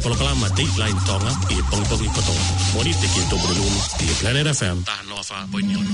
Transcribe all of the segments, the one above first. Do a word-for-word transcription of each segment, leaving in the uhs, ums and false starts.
Polokalama Dateline Tonga ʻi he pongipongi kotoa. Mōnite ki he Tupuna Lulu ʻi he Planet F M. Taha noa fā poini ono.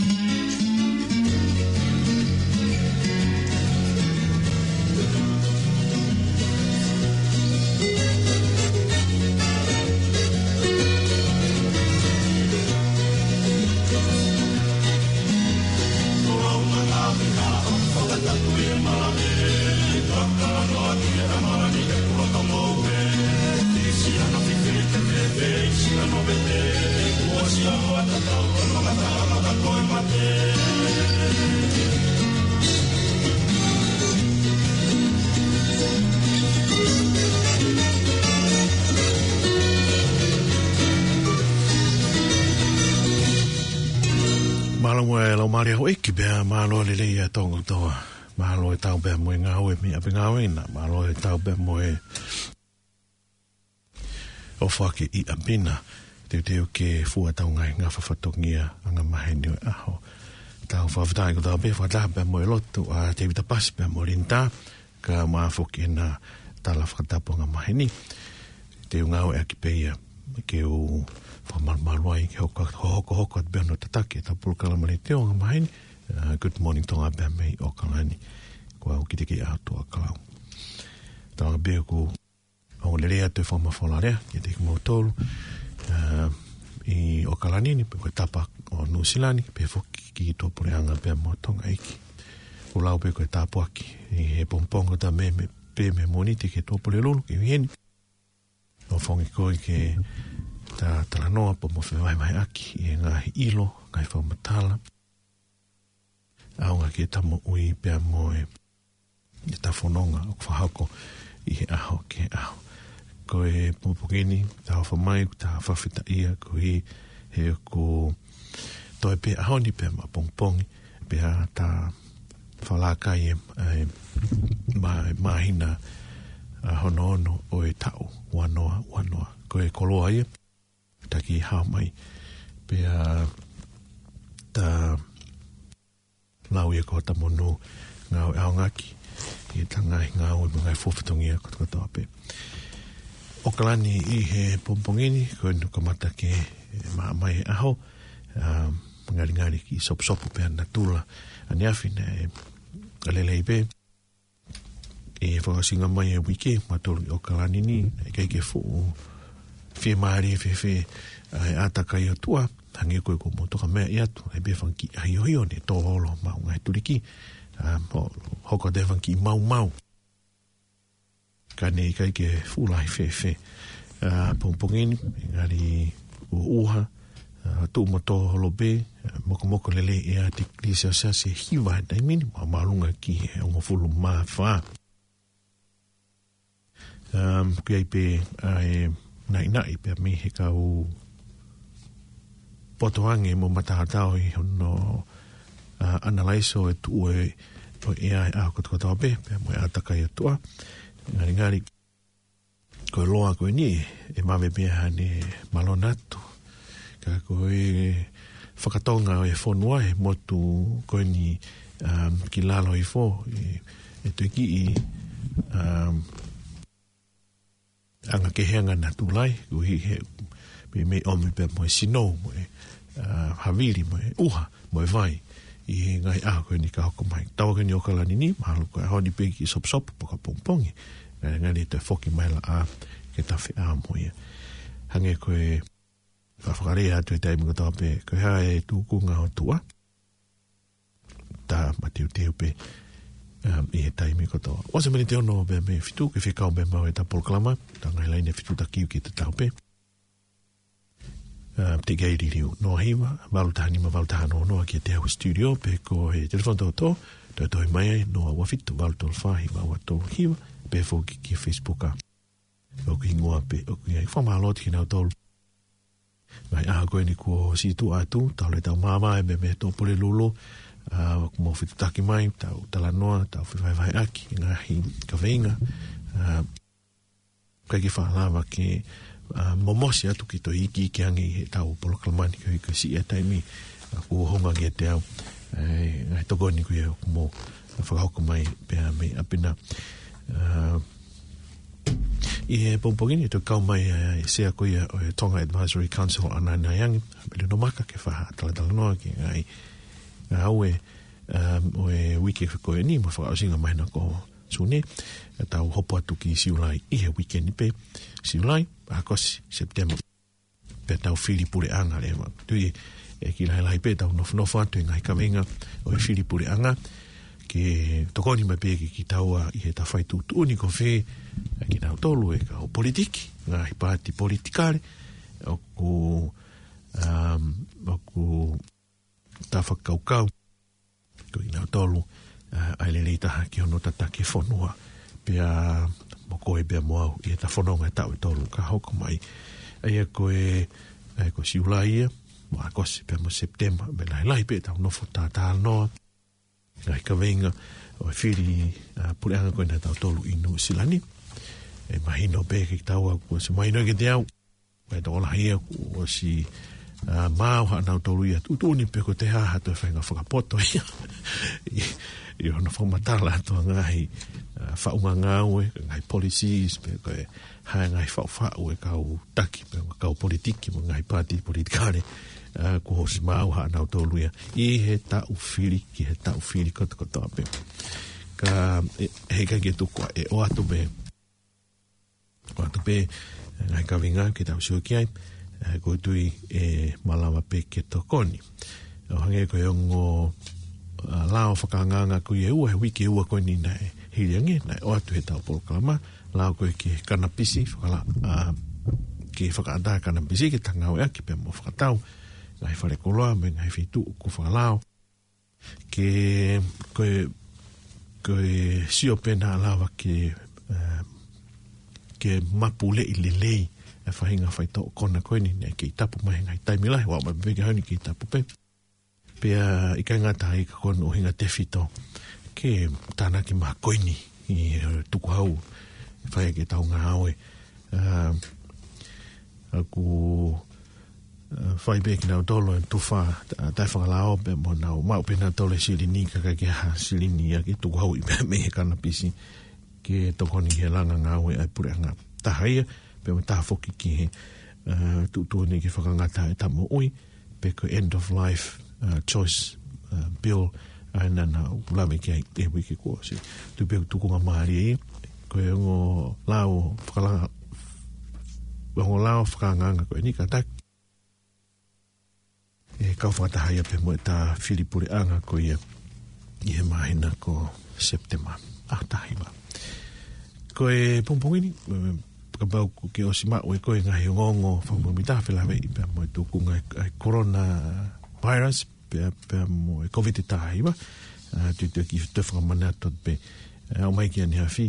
Mālō e lau mālie houʻeiki pea mālō lelei ʻa Tonga kotoa. Mālō e tau pea mo e ngāue mei ʻapi ngāue na. Mālō e tau pea mo e ʻofa ke ʻi ʻapi na. Teuteu ke fua ʻetau ngaahi ngafa fatongia angamaheni ʻo e ʻaho. Tau fakafetaʻi kotoa pē fakataha pea mo e lotu ʻa Tevita Pasi pea mo Linda. Kae ʻumaʻā foki ʻena tala fakatapu angamaheni. Te u ngāueʻaki pē ia ke u fakamalumalu ai ke hoko, hokohoko atu pē hono tataki ʻetau polokalama leitiō angamaheni, uh, Good Morning Tonga pea mei ʻAokalani. Ko au Kitiki ʻa Tuʻakalau. Tau pē ʻoku ongo lelei atu e fakamafola lea kiate kimoutolu, uh, ʻi ʻAokalani ni, pea ko e tapa ʻo Nuʻusila ni, pea foki ki tuʻapuleʻanga pea mo Tonga ʻeiki. ʻOku lau pē ko e tāpuaki ʻi he pongipongi ʻo Tamea pea mei Mōnite ki tuʻapulelulu ki heni. ʻO fakaʻofoʻofa ke ta talanoa pea mo fevahevaheʻaki ʻi he ngaahi ʻilo, ngaahi fakamatala ʻaonga ki heʻeta moʻui pea mo e, ʻeta fononga ʻoku fakahoko ʻi he ʻaho ki he ʻaho. Ko e pongipongi ni, ta ʻofa mai, ta fakafetaʻia koeʻuhi he ʻoku toe pē ʻaho ni pea mo e pongipongi, pea ta fakalaka ai e, e, mā-, māhina, a, hono ono ʻo e taʻu ua noa ua noa. Ko e koloa ia, taki hao mai. Pea ta lau ia ko hota monū ngāue ʻaonga ki heʻeta ngaahi ngāue mo e ngaahi fuofua fatongia kotokotoa pē. ʻAokalani ʻi he pongipongi ni, ko ʻene kamata ke maʻa mai e ʻaho, um, ngalingali kiʻi sopusopu pē ʻa natula ʻaneafi naʻe lelei pē. ʻI he fakaʻosinga mai e uike, mautolu ʻi ʻAokalani ni, ʻikai ke fuʻu fiemālie fēfē ʻa e ʻātakai ʻo e ʻOtua, hangē ko e ko mou toka meʻa atu, ʻai pē fanga kiʻi ʻahiohio ne tō holo homau ngaahi tuliki, um, ho-, hoko atu e fanga kiʻi maumau. Ka ne ʻikai ke fuʻu lahi fēfē. A, pongipongi ni, ngali ʻuha, a, tuʻu mo tō holo pē, a, mokomoko lelei ʻea tikilī selesiasi ʻe hiva he taimi ni, ma-, māʻolunga ki he hongofulu mā fā. Um, ʻoku ʻi ai pē ʻa e naʻinaʻi pea mei he kau poto ange mo mataotao ʻi hono, a, ʻanalaiso e tuʻu e, ʻo e ʻea he ʻaho kotokotoa pē, pea mo e ʻātakai ʻo e ʻOtua. Ngalingali, ko e loa ko eni, ʻe vave pē ia ʻene malona atu. Ka ko e fakatonga ʻo e fonua he motu ko eni, um, ki lalo hifo, ʻe, ʻe toe kiʻi, um, anga kehe ange ʻa natula, koeʻuhi he, mei, mei ʻomi pē mo e sino, mo e, a, havili, mo e ʻuha, mo e vai, ʻi he ngaahi ʻaho ko eni ka hoko mai. Taua ko eni ʻAokalani ni, mahalo ko e ʻaho ni pē kiʻi sopusopu, pe ko e pongipongi, ngali, ngali toe foki mai e laʻā, ke ta feʻao mo ia. Hangē ko e, fa-, fakalea atu he taimi kotoa pē, ko e hā e tūkunga ʻo e ʻOtua, ta mateuteu pē, um, ʻi he taimi kotoa. ʻOsi e miniti ono pē mei he fitu, ke fekau pē maʻu ʻeta polokalama, ta ngaahi laine fitu taki ki he tatau pē. Um, teʻeki ai liliu. Noa hiva, valu taha nima, valu taha noa noa ki he ʻetau studio, pe ko e telefoni tōtō, toe tohi mai ai, noa ua fitu, valu tolu fā, hiva ua tolu hiva, pe foki ki he Facebook ʻa ʻoku hingoa pē, ʻoku ʻi ai. Fakamālō atu kinautolu. Ngaahi ʻaho ko eni kuo ʻosi tuʻu atu, tau lele tau māvae mei, mei tuʻapulelulu, a, ʻoku mou fetuʻutaki mai, tau talanoa, tau fevahevaheʻaki, ngaahi kaveinga, a, ʻikai ke faʻa lava ke, a, momosi atu ke toe iiki, iiki ange ʻi heʻetau polokalama ni koeʻuhi ko e siʻi e taimi, a, kuo hanga kiate au, e, ngaahi tokoni ko ia ʻoku mou fakahoko mai pea mei ʻapi na. A, ʻI he pongipongi ni, ʻe toe kau mai ʻa e sea ko ia ʻo e Tonga Advisory Council, ʻAna Naiangi, Melino Maka, ke fai ha talatalanoa ki he ngaahi ngāue, um, ʻo e uike ko eni, mo e fakaʻosinga māhina ko Sune, ʻe tau hopo atu ki Siulai ʻi he uike ni pē, Siulai, ʻAokosi, Sepitema. Pea tau fili puleʻanga leva. Tui ʻe kiʻi lahilahi pē tau nofonofo atu he ngaahi kaveinga ʻo e fili puleʻanga, ke tokoni mai pē ke kitaua ʻi heʻeta fai tuʻutuʻuni ko fē ʻa kinautolu e kau politiki, ngaahi paati politikale, ʻoku, um, ʻoku ta fakakaukau ko kinautolu, ʻa, ʻa e lelei taha ki hono tataki e fonua. Pea mo koe pea mo au ʻi heʻeta fononga he taʻu ʻe tolu ka hoko mai. ʻA ia ko e, ʻa ia ko Siulai ia, mo ʻAokosi pea mo Sepitema, mo e lahilahi pē tau nofo talatalanoa. Ngaahi kaveinga ʻo e fili, ʻa, puleʻanga ko ena ʻa tautolu ʻi Nuʻusila ni. ʻE mahino pē kiate kitaua kuo ʻosi mahino kiate au. Ko e tokolahi ia kuo ʻosi, ʻa, maau haʻanautolu ia tuʻutuʻuni pe ko e hā ha toe faʻahinga fakapoto ia. ʻI, ʻi hono fakamatala atu ʻa e ngaahi, ʻa, faʻunga ngāue, ngaahi policies, pe ko e hā e ngaahi faʻufaʻu e kau taki, pe ko e kau politiki, mo e ngaahi paati politikale, ʻa, kuo ʻosi maau haʻanautolu ia. ʻI he taʻu fili, ki he taʻu fili kotokotoa pē. Ka, ʻe, heʻikai ke tuku ʻe ʻoatu pē ʻoatu pē, ʻa, ngaahi kaveinga ke tau sio ki ai, ʻa, ko e tui ʻe malava pē ke tokoni. ʻO hangē ko e ongo, ʻa, lao fakaangaanga ko ia ʻe ua, he uike ʻe ua ko eni naʻe hili ange, naʻe ʻoatu he tau polokalama, lao ko e ki he kanapisi, fakala-, ʻa, ke fakaʻatā e kanapisi, ke ta ngāueʻaki pea mo fakatau, ngaahi fale koloa, mo e ngaahi feituʻu ʻoku fakalao. Ke, ko e, ko e sio pē naʻa lava ke, ʻa, ke mapuleʻi lelei e faʻahinga faitoʻo kona ko eni naʻe kei tapu mai he ngaahi taimi lahi, ʻo aʻu mai pē ki he ʻaho ni kei tapu pē. Pea ʻikai ngata ai ka ko hono ʻuhinga tefito ke tānaki mai ko eni ʻi he tukuhau, fai ʻaki ʻetau ngāue. ʻA, ʻoku, ʻa, fai pē kinautolu e tufa, ʻa, taʻefakalao pē mo nau maʻu pē nautolu e silini, ka ʻikai ke ʻi ai ha silini ia ke tukuhau ʻi pē mei he kanapisi ke tokoni ki he langa ngāue ʻa e puleʻanga. Taha ia, pea mo e taha foki ki he, ʻa, tuʻutuʻuni ke fakangata e tau moʻui, pe ko e end of life, ʻa, choice, ʻa, bill, ʻa, naʻa, naʻa ku lave ki ai he uike kuo ʻosi. Tui pē ʻoku tukunga mālie ia, ko e ongo lao fakala-, ongo lao fakaangaanga ko eni kātaki ʻe kau fakataha ia pē mo ʻeta fili puleʻanga ko ia ʻi he māhina ko Sepitema. ʻA, taha hiva. Ko e pongipongi ni, ʻe, kapau ʻoku ke ʻosi maʻu ʻe koe e ngaahi ongoongo fakamuimuitaha felāveʻi pea mo e tukunga ʻa e, ʻa e coronavirus, pea, pea mo e Covid taha hiva, ʻa, tui tui ke toe fakamanatu pē, ʻa, ʻomai ki ʻaneafi,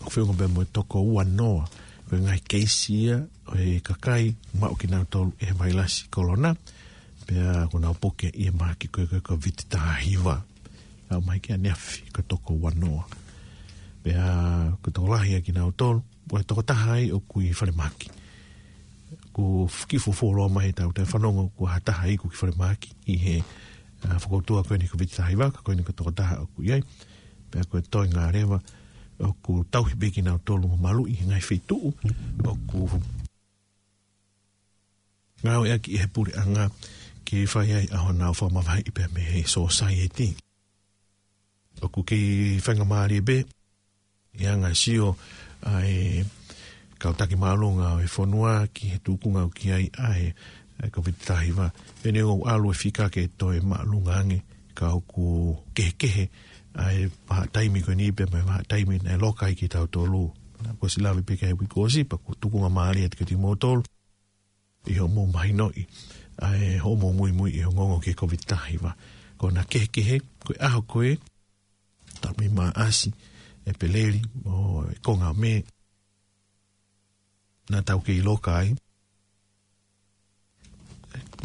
ʻoku feʻunga pē mo e toko uanoa, ko e ngaahi keisi ia ʻo e kakai maʻu kinautolu ʻe he vailasi kolona, pea kuo nau puke ʻi he mahaki ko e, ko e Covid taha hiva. ʻA, ʻomai ki ʻaneafi ko e toko uanoa. Pea ko e tokolahi ia kinautolu, ʻo e tokotaha ai ʻoku ʻi falemahaki. Kuo kiʻi fuofua loa mai he taimi ʻoku tau fanongo kuo ha taha iku ki falemahaki ʻi he, ʻa, fokoutua ko eni Covid taha hiva, ka ko eni ko e tokotaha ʻoku ʻi ai. Pea ko e toenga leva, ʻoku tauhi pē kinautolu mo maluʻi he ngaahi feituʻu ʻoku ngāueʻaki ʻe he puleʻanga ke fai ai ʻa honau fakamavaheʻi pea mei he sōsaieti. ʻOku kei faingamālie pē ʻi he anga e sio ʻa e kau taki māʻolunga ʻo e fonua ki he tukunga ʻoku ʻi ai ʻa e, ʻa e Covid taha hiva. Pea neongo ʻoku ʻalu e fika ke toe māʻolunga ange, ka ʻoku kehekehe ʻa e vahaʻa taimi ko eni pea mo e vahaʻa taimi naʻe loka ai kitautolu. Naʻa ku ʻosi lave pē ki ai he uike kuo ʻosi, pea ʻoku tukunga mālie atu kiate kimoutolu ʻi hoʻomou mahinoʻi ʻa e hoʻomou muimui ʻi he ongoongo ki he Covid taha hiva. Ko ʻena kehekehe, ko e ʻaho ko ē, taimi Maʻasi, ʻEpeleli, mo e konga ʻo Mē, naʻa tau kei loka ai,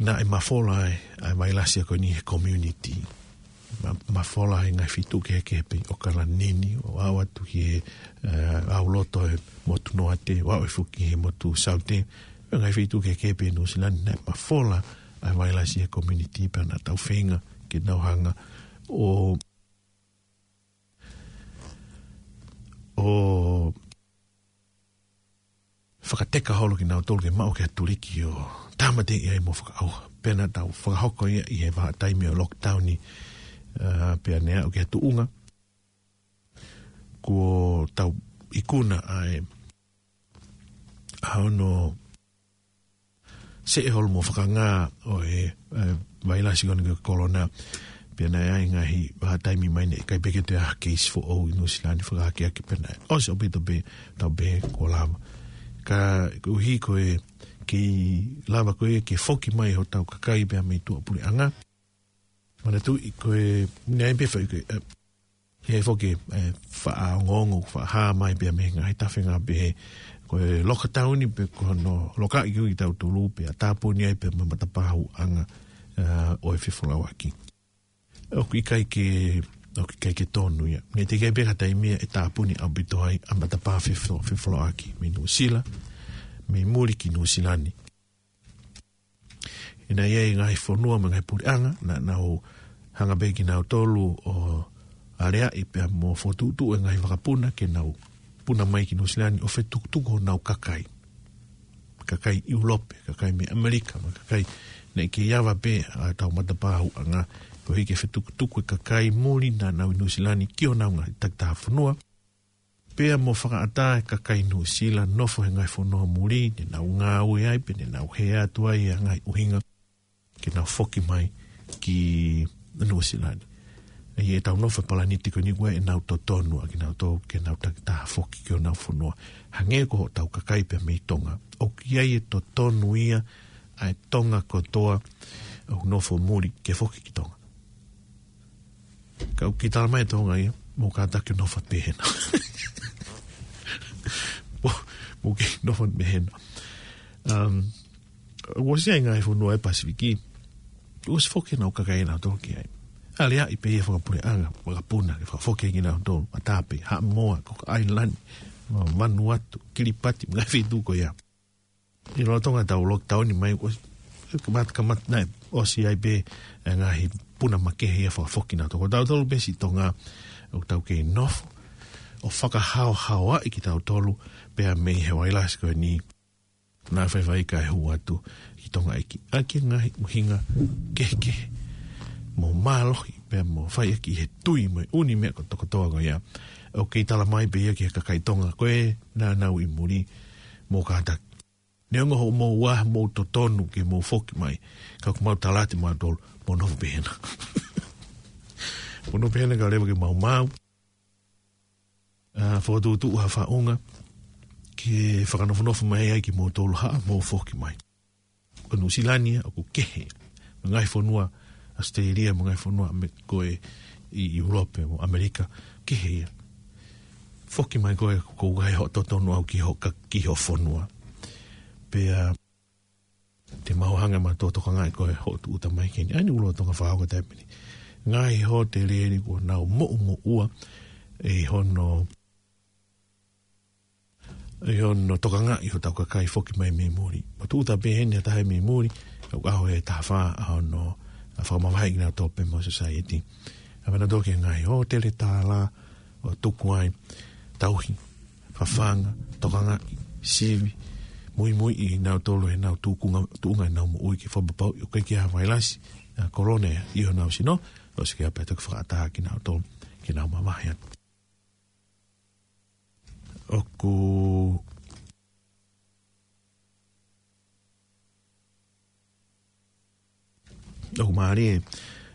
naʻe mafola ai ʻa e vailasi ko eni he community. Ma-, mafola ai ngaahi feituʻu kehekehe pē ʻi ʻAokalani ni, ʻo aʻu atu ki he, ʻa, ʻauloto ʻo e motu Noate, ʻo aʻu foki ki he motu Saute. Ngaahi feituʻu kehekehe pē ʻi Nuʻusila ni naʻe mafola ʻa e vailasi he community pea naʻa tau feinga ke nau hanga ʻo, ʻo fakateka holo kinautolu ke maʻu ki ha tuliki ʻo tāmateʻi ai mo fakaʻauha. Pea naʻa tau fakahoko ia ʻi he vahaʻa taimi ʻo lockdown ni, ā, pea ne aʻu ki ha tuʻunga kuo tau ikuna ai ʻa hono seʻe holo mo fakangā ʻo e, e, vailasi ko eni ko e kolona. Pea naʻe ʻi ai e ngaahi vahaʻa taimi mai ne ʻikai pē ke toe ʻi ai ha keisi foʻou ʻi Nuʻusila ni, fakahakeakiʻi pē naʻe ʻosi ʻaupito pē, tau pehē kuo lava. Ka koeʻuhi ko e kiʻi lava ko ē ke foki mai hotau kakai pea mei tuʻapuleʻanga. Manatuʻi ko e, naʻe ʻi ai pē foʻi ko e, e, he foki, e, faʻa ongoongo, faʻa hā mai pea mei he ngaahi tafe ngā pehē, ko e lockdown ni pē ko hono lokaʻi kitautolu pea tāpuni ai pē mo e matapā houʻanga, ā, ʻo e fefolauʻaki. ʻOku ʻikai ke, ʻoku ʻikai ke tonu ia. Naʻe teʻeki ai pē ha taimi ia ʻe tāpuni ʻaupito ai ʻa e matapā fefo-, fefolauʻaki mei Nuʻusila, mei muli ki Nuʻusila ni. ʻI he naʻe ʻi ai e ngaahi fonua mo e ngaahi puleʻanga, naʻa nau hanga pē kinautolu ʻo aleaʻi pea mo fokotuʻutuʻu e ngaahi vakapuna ke nau puna mai ki Nuʻusila ni ʻo fetukutuku honau kakai. Kakai ʻIulope, kakai mei ʻAmelika, mo e kakai naʻe kei ava pē ʻa e tau matapā houʻanga, koeʻuhi ke fetukutuku e kakai muli naʻa nau ʻi Nuʻusila ni ki honau ngaahi takitaha fonua. Pea mo fakaʻatā e kakai Nuʻusila nofo he ngaahi fonua muli, ne nau ngāue ai, pe ne nau hē atu ai e ngaahi ʻuhinga ke nau foki mai ki Nuʻusila ni. ʻA ia ʻetau nofo he palaniti ko eni ko e nau totonu ʻa kinautolu ke nau takitaha foki ki honau fonua. Hangē ko hotau kakai pē mei Tonga. ʻOku ʻi ai e totonu ia ʻa e Tonga kotoa ʻoku nofo muli ke foki ki Tonga. Ka ʻoku kei tala mai e Tonga ia, mou kātaki nofo pehena. Mou, mou kei nofo pehena. Um, ʻOku ʻosi ʻi ai e ngaahi fonua ʻi he Pasifiki, ʻosi foki honau kakai nautolu ki ai. ʻAleaʻi pē ia fakapuleʻanga, vakapuna, ke fakafoki kinautolu, Matape, Haʻamoa, Cook Island, Vanuatu, Kiripati, mo e ngaahi feituʻu ko ia. ʻI he lolotonga ʻetau lockdown ni mai, ʻosi, kamata, kamata naʻe ʻosi ʻi ai pē e ngaahi puna makehe ia fakafoki nautolu. Ko tautolu pē siʻi Tonga, ʻoku tau kei nofo ʻo fakahaohaoaʻi kitautolu pea mei he vailasi ko eni naʻe faifai kae hū atu ki Tonga ʻEiki. ʻAki e ngaahi ʻuhinga kehekehe mo mālohi pea mo fai ʻaki he tui mo e ʻū meʻa kotokotoa ko ia. ʻOku kei tala mai pē ia ki he kakai Tonga ko ē naʻa nau ʻi muli, mou kātaki. Neongo hoʻomou ʻā, mou totonu ke mou foki mai, ka ʻoku mau tala atu mautolu, mou nofo pehena. Mou nofo pehena kae ʻoua leva ke maumau. Ā, fokotuʻutuʻu ha faʻunga ke fakanofonofo mai ai kimoutolu, haʻamou foki mai. Ko Nuʻusila ni ia ʻoku kehe. Mo e ngaahi fonua ʻAositelēlia, mo e ngaahi fonua ʻAme-, ko ē ʻi ʻIulope mo ʻAmelika, kehe ia. Foki mai koe, ko e ngaahi hoʻo totonu ʻaʻau ki ho ka-, ki ho fonua. Pea te mau hanga ʻo tokangaʻi koe hoʻo tūʻuta mai ki heni. ʻA eni ʻoku lolotonga fakahoko he taimi ni. Ngaahi hōtele eni kuo nau moʻumoʻua ʻi hono, ʻi hono tokangaʻi hotau kakai foki mai mei muli. Mo tūʻuta pē heni ha taha mei muli, ʻoku ʻaho ʻe taha fā ʻa hono, ʻa fakamavaheʻi kinautolu pē mo e society. ʻA mena toki ngaahi hōtele tālā, ʻo tuku ai tauhi, fafanga, tokangaʻi, sivi, muimuiʻi kinautolu ʻi heʻenau tuʻunga, tuʻunga ʻenau moʻui ke fakapapauʻi ʻoku ʻikai ke ʻi ai ha vailasi, ā, kolona ia ʻi honau sino, ʻosi ke ʻai pē toki fakaʻatā kinautolu ke nau mavahe atu. ʻOku ʻOku mālie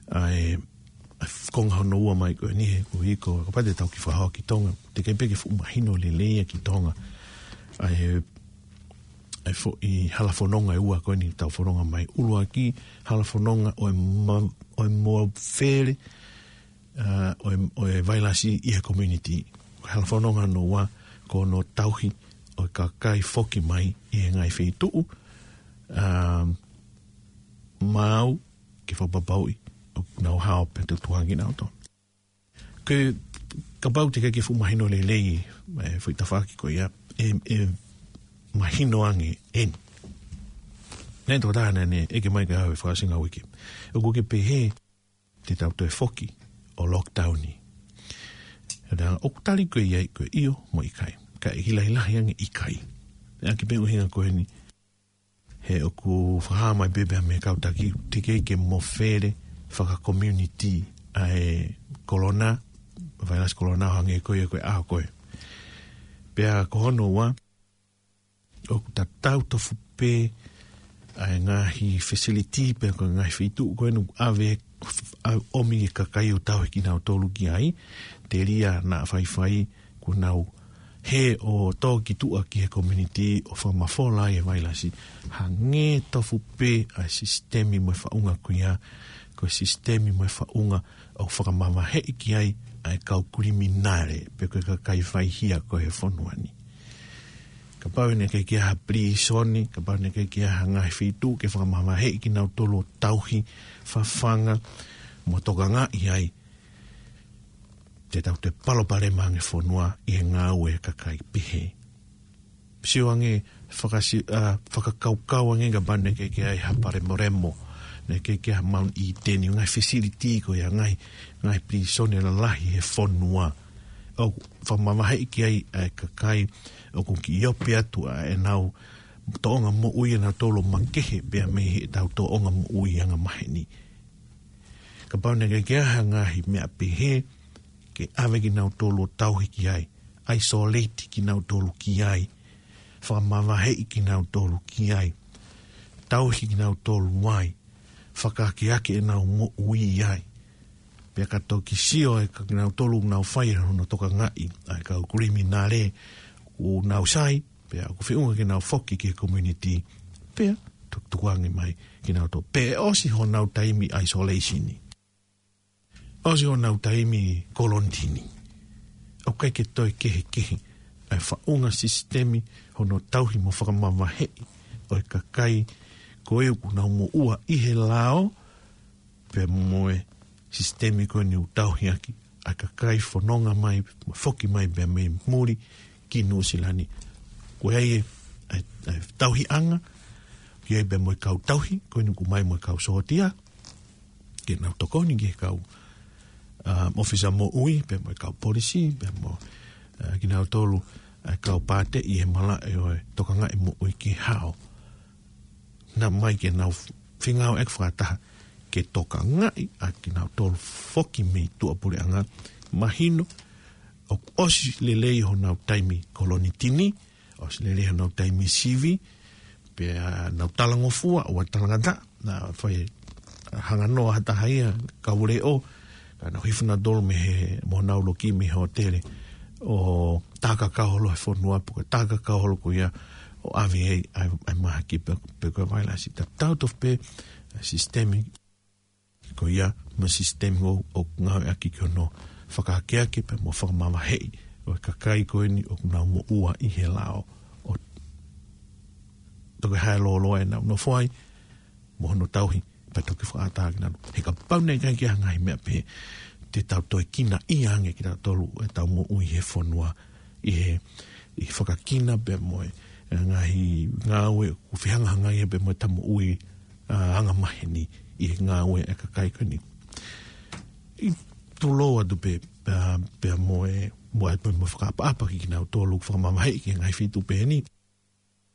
ʻa e, ʻa e konga hono ua mai ko eni he kuo hiko, kapau te tau kiʻi fakahoko ki Tonga, teʻeki ai pē ke fuʻu mahino lelei ia ki Tonga. ʻA e, ʻa e foʻi hala fononga ʻe ua ko eni tau fononga mai, ʻuluaki, hala fononga ʻo e ma-, ʻo e mafele, ā, ʻo e, ʻo e vailasi ʻi he community. Hala fononga hono ua, ko hono tauhi ʻo e kakai foki mai ʻi he ngaahi feituʻu, ā, maʻu ke fakapapauʻi ʻoku nau hao pea tukuange kinautolu. Ke kapau teʻeki ke fuʻu mahino lelei e foʻi tafaʻaki ko ia, ʻe, ʻe mahino ange eni. Naʻe tokotaha naʻá ne ʻeke mai kiate au he fakaʻosinga uike, ʻoku ke pehē te tau toe foki ʻo lockdown ni? Pea ʻoku tali ko ia ko e ʻio mo e ʻikai. Ka ʻe hilahilahi ange ʻikai. ʻaki pē ʻuhinga ko eni. He ʻoku fakahā mai pē pea mei he kau taki, teʻeki ke mofele fakakomiunitī ʻa e kolona, vailasi kolona ʻo hangē ko ia ko e ʻaho ko ē. Pea ko hono ua, ʻoku tatau tofu pē ʻa e ngaahi facility pe ko e ngaahi feituʻu ko eni ʻave, ʻa, ʻomi e kakai ʻo tauhi kinautolu ki ai, telia naʻa faifai kuo nau hē ʻo tō ki tuʻa ki he community ʻo fakamafola ai e vailasi. Hangē tofu pē ʻa e sisitemi mo e faʻunga ko ia, ko e sisitemi mo e faʻunga ʻoku fakamavaheʻi ki ai ʻa e kau kiliminale, pe ko e kakai faihia ko ē he fonua ni. Kapau naʻe ʻikai ke ʻi ai ha pilīsone, kapau naʻe ʻikai ke ʻi ai ha ngaahi feituʻu ke fakamavaheʻi kinautolu ʻo tauhi, fafanga, mo tokangaʻi ai, te tau toe palopalema ange fonua ʻi he ngāue ʻa e kakai pehē. Sio ange, fakasi-, ʻa, fakakaukau ange kapau naʻe ʻikai ke ʻi ai ha palemoremo, naʻe ʻikai ke ʻi ai ha Mount Eden, ngaahi facility ko ia, ngaahi, ngaahi pilīsone lalahi he fonua. ʻOku fakamavaheʻi ki ai ʻa e kakai ʻoku kiʻi ope atu ʻa ʻenau tōʻonga moʻui ʻanautolu ʻo makehe pea mei heʻetau tōʻonga moʻui angamaheni. Kapau naʻe ʻikai ke ʻi ai ha ngaahi meʻa pehē, ke ʻave kinautolu ʻo tauhi ki ai, isolate kinautolu ki ai, fakamavaheʻi kinautolu ki ai, tauhi kinautolu ai, fakaakeake ʻenau moʻui ai. Pea ka toki sio ʻa kinautolu ʻoku nau fai hono tokangaʻi ʻa e kau kiliminale, ʻoku nau sai, pea ʻoku feʻunga ke nau foki ki he community, pea tukutuku ange mai kinautolu. Pea ʻe ʻosi honau taimi isolation ni. ʻOsi honau taimi kolonitini. ʻOku ʻikai ke toe kehekehe ʻa e faʻunga sisitemi hono tauhi mo fakamavaheʻi ʻo e kakai ko ē ʻoku nau moʻua ʻi he lao, pea mo e sisitemi ko eni ʻoku tauhi ʻaki ʻa e kakai fononga mai, foki mai pea mei muli ki Nuʻusila ni. Ko ia ʻa e, ʻa e, ʻa e tauhiʻanga, ko ia pea mo e kau tauhi, ko eni ʻoku ʻomai mo e kau sōtia, ke nau tokoni ki he kau, ʻa, ʻōfisa moʻui, pea mo e kau polisi, pea mo, ʻa, kinautolu, ʻa, kau pātē ʻi he malaʻe ʻo e tokangaʻi moʻui ki he hao. Naʻa ʻomai ke nau fengāueʻaki fakataha ke tokangaʻi ʻa kinautolu foki mei tuʻapuleʻanga. Mahino, ʻoku ʻosi lelei honau taimi kolonitini, ʻosi lelei honau taimi sivi, pea nau talangofua, ʻoua talangataʻa, naʻa fai hanganoa ha taha ia, kau leʻo, ka nau hifo nautolu mei he, mo nau loki mei he hōtele, ʻo tākakau holo he fonua, pe ko e tākakau holo ko ia, ʻo ʻave ai, ʻa e, ʻa e mahaki pe, pe ko e vailasi. Tatau tofu pē, ʻa e sisitemi ko ia, mo e sisitemi ʻoku, ʻoku ngāueʻaki ki hono fakaakeake pea mo fakamavaheʻi ʻo e kakai ko eni ʻoku nau moʻua ʻi he lao. ʻO toki hae lōloa ʻenau nofo ai, mo hono tauhi, pea toki fakaʻatā kinautolu. He kapau naʻe ʻikai ke ʻi ai ha ngaahi meʻa pehē, te tau toe kinaʻia ange kitautolu ʻetau moʻui he fonua, ʻi he, ʻi he fakakina pea mo e, ʻa e ngaahi ngāue ʻoku fehangahangai pea mo ʻetau moʻui, ʻa, angamaheni ʻi he ngāue ʻa e kakai ko eni. ʻI tulou atu pē, ʻa, pea mo e, mo e, mo e fakaʻapaʻapa ki kinautolu ʻoku fakamavaheʻi ki he ngaahi feituʻu pehē ni.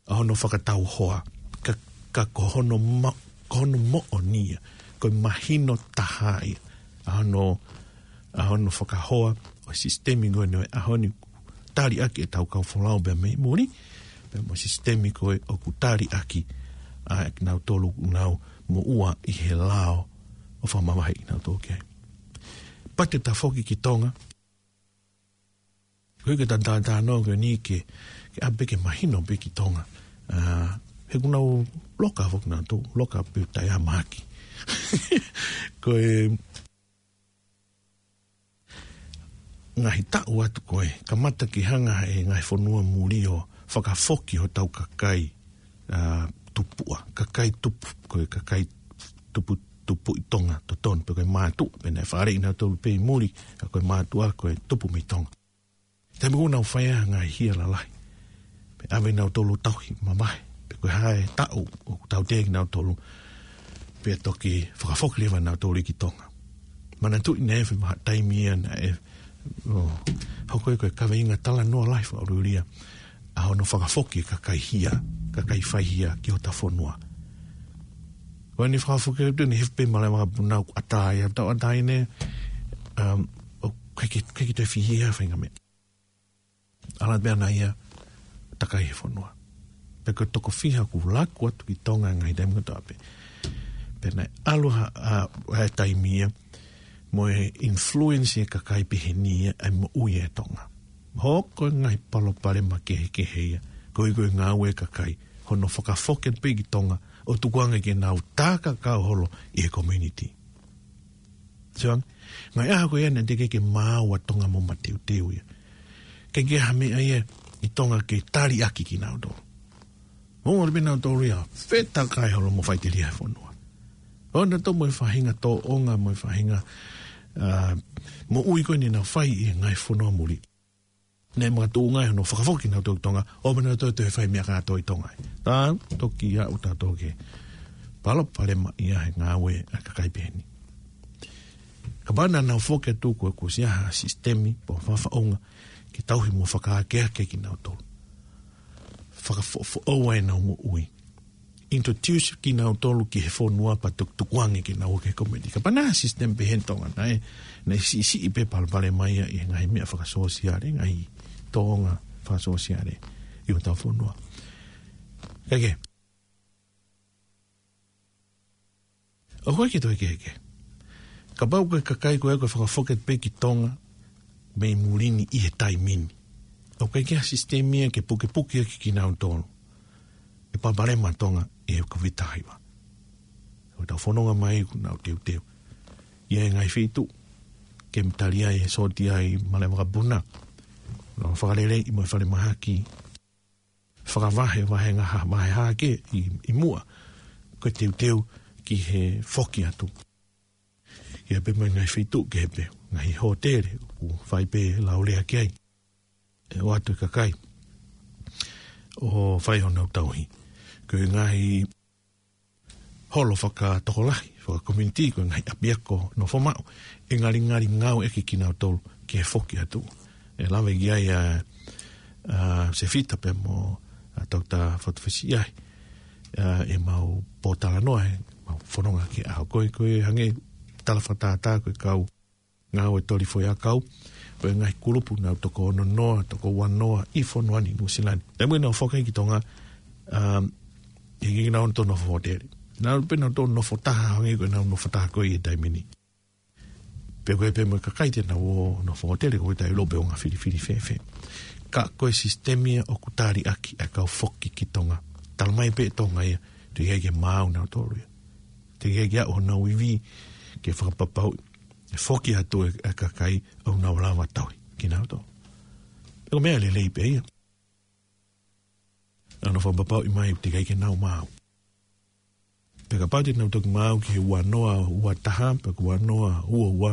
ʻA hono fakatau hoa, ka, ka ko hono ma-, ko hono moʻoni ia, ko e mahino taha ia, ʻa hono, ʻa hono fakahoa ʻo e sisitemi ko eni ʻo e ʻaho ni, tali ʻaki ʻetau kau folau pea mei muli, pea mo e sisitemi ko ē ʻoku tali ʻaki ʻa kinautolu ʻoku nau moʻua ʻi he lao ʻo fakamavaheʻi kinautolu ki ai. Pea te ta foki ki Tonga, ko e ke ta talanoa ko eni ke, ke ʻave ke mahino pē ki Tonga. ʻA, he ʻoku nau loka foki nautolu, loka pē taʻe ʻi ai ha mahaki. Ko e ngaahi taʻu atu ko ē, kamata ke hanga ʻe he ngaahi fonua muli ʻo fakafoki hotau kakai, ʻa, tupuʻa, kakai tupu, ko e kakai tupu, tupu ʻi Tonga totonu, pe ko e mātuʻa, pea naʻe fāʻeleʻi nautolu pē ʻi muli, ka ko e mātuʻa, ko e tupu mei Tonga. Taimi ʻoku nau fai ai ha ngaahi hia lalahi, pea ʻave nautolu ʻo tauhi mamahi, pe ko e hā e taʻu ʻoku tautea kinautolu, pea toki fakafoki leva nautolu ki Tonga. Manatuʻi naʻe ʻi ai e vahaʻa taimi ia naʻe, ʻo, hoko ia ko e kaveinga talanoa lahi fakaʻuliʻulia, ʻa hono fakafoki e kakai hia, kakai faihia ki hota fonua. Ko eni fakafoki atu eni he pē Malaʻe Vakapuna ʻoku ʻatā ia, tau ʻatā ʻeni, um, ʻoku ʻikai ke, ʻikai ke toe fihia ha faʻahinga meʻa. ʻAlu pē ʻana ia ʻo takai he fonua. Pea ko e toko fiha kuo laku atu ki Tonga he ngaahi taimi kotoa pē. Pea naʻe ʻalu ha, ʻa, ʻa e taimi ia, mo e influence e kakai pehē ni ia ʻa e moʻui ʻa Tonga. Hoko e ngaahi palopalema kehekehe ia, koeʻuhi ko e ngāue e kakai, hono fakafoki atu pē ki Tonga, ʻo tukuange ke nau tā kakau holo ʻi he community. Sio ange, ngaahi ʻaho ko ia naʻe teʻeki ke maau ʻa Tonga mo mateuteu ia. ʻIkai ke ʻi ai ha meʻa ia ʻi Tonga ke taliʻaki kinautolu. Mo ʻalu pē nautolu ia, fetakai holo mo faʻiteliha e fonua. ʻO nautolu mo e faʻahinga tōʻonga, mo e faʻahinga, ā, moʻui ko eni naʻa nau fai ʻi he ngaahi fonua muli. Naʻe makatuʻunga ai hono fakafoki nautolu ki Tonga, ʻo pē nautolu toe fai meʻa kātoa ʻi Tonga. Tā, toki aʻu tautolu ki he palopalema ia he ngāue ʻa e kakai pehē ni. Kapau naʻa nau foki atu kuo, kuo ʻosi ʻi ai ha sisitemi, pe faʻahinga faʻunga, ke tauhi mo fakaakeake kinautolu. Fakafoʻofoʻou ai ʻenau moʻui. Introduce kinautolu ki he fonua pea tukutukuange ke nau ō ki he community. Kapau naʻe ʻi ai ha sisitemi pehē ʻi Tonga, naʻe, naʻe siʻisiʻi pē palopalema ia ʻi he ngaahi meʻa fakasōsiale, ngaahi tōʻonga fakasōsiale ʻi hotau fonua. Kae kehe. ʻOku ʻikai ke toe kehekehe. Kapau ko e kakai ko ē kuo fakafoki atu pē ki Tonga mei muli ni ʻi he taimi ni, ʻoku ʻikai ke ʻi ai ha sisitemi ia ke pukepuke ʻaki kinautolu e palopalema ʻa Tonga ʻi he Kōviti taha hiva. ʻOku tau fononga mai kuo nau teuteu ia e ngaahi feituʻu ke tali ai e sōtia ʻi Malaʻe Vakapuna, ʻo fakaleleiʻi mo e falemahaki, fakavahe, vahe ngaahi, vahe hake ʻi, ʻi muʻa, ko e teuteu ki he foki atu. Ia pē mo e ngaahi feituʻu kehe pē, ngaahi hōtele, ʻoku fai pē laulea ki ai. ʻE ʻoatu e kakai ʻo fai honau tauhi. Ko e ngaahi holo fakatokolahi, fakakominitī, ko e ngaahi ʻapiako nofo maʻu, ʻe ngalingali ngāueʻaki kinautolu ki he foki atu. ʻE lave ki ai ʻa, ʻa Sefita pea mo ʻa Toketā Fatufesi ʻi ai, ʻa, ʻemau pōtalanoa, ʻemau fononga ki he ʻaho ko ē, ko e hangē tala fakatātā ko e kau ngāue toli foʻiʻakau, ko e ngaahi kulupu naʻa nau toko ono noa, toko ua noa ʻi fonua ni Nuʻusila ni. Taimi naʻa nau foki ki Tonga, um, ʻikai ke nau toe nofo hōtele. Naʻa nau pē nau toe nofo taha hangē ko ʻenau nofo taha ko ē ʻi he taimi ni. Pe ko e pē mo e kakai te nau ō nofo hōtele ko e tai lope o ngā filifili fēfē. Ka ko e sisitemi ia ʻoku taliʻaki ʻa e kau foki ki Tonga. Talamai pē ʻe Tonga ia, teʻeki ai ke maau nautolu ia. Teʻeki ai ke aʻu honau ivi ke fakapapauʻi ʻe foki atu e, e kakai ʻoku nau lava tauhi kinautolu. Pea ko e meʻa lelei pē ia. Naʻa nau fakapapauʻi mai teʻeki ai ke nau maau. Pea kapau te nau toki maau ki he ua noa ua taha, pe ko e ua noa ua ua,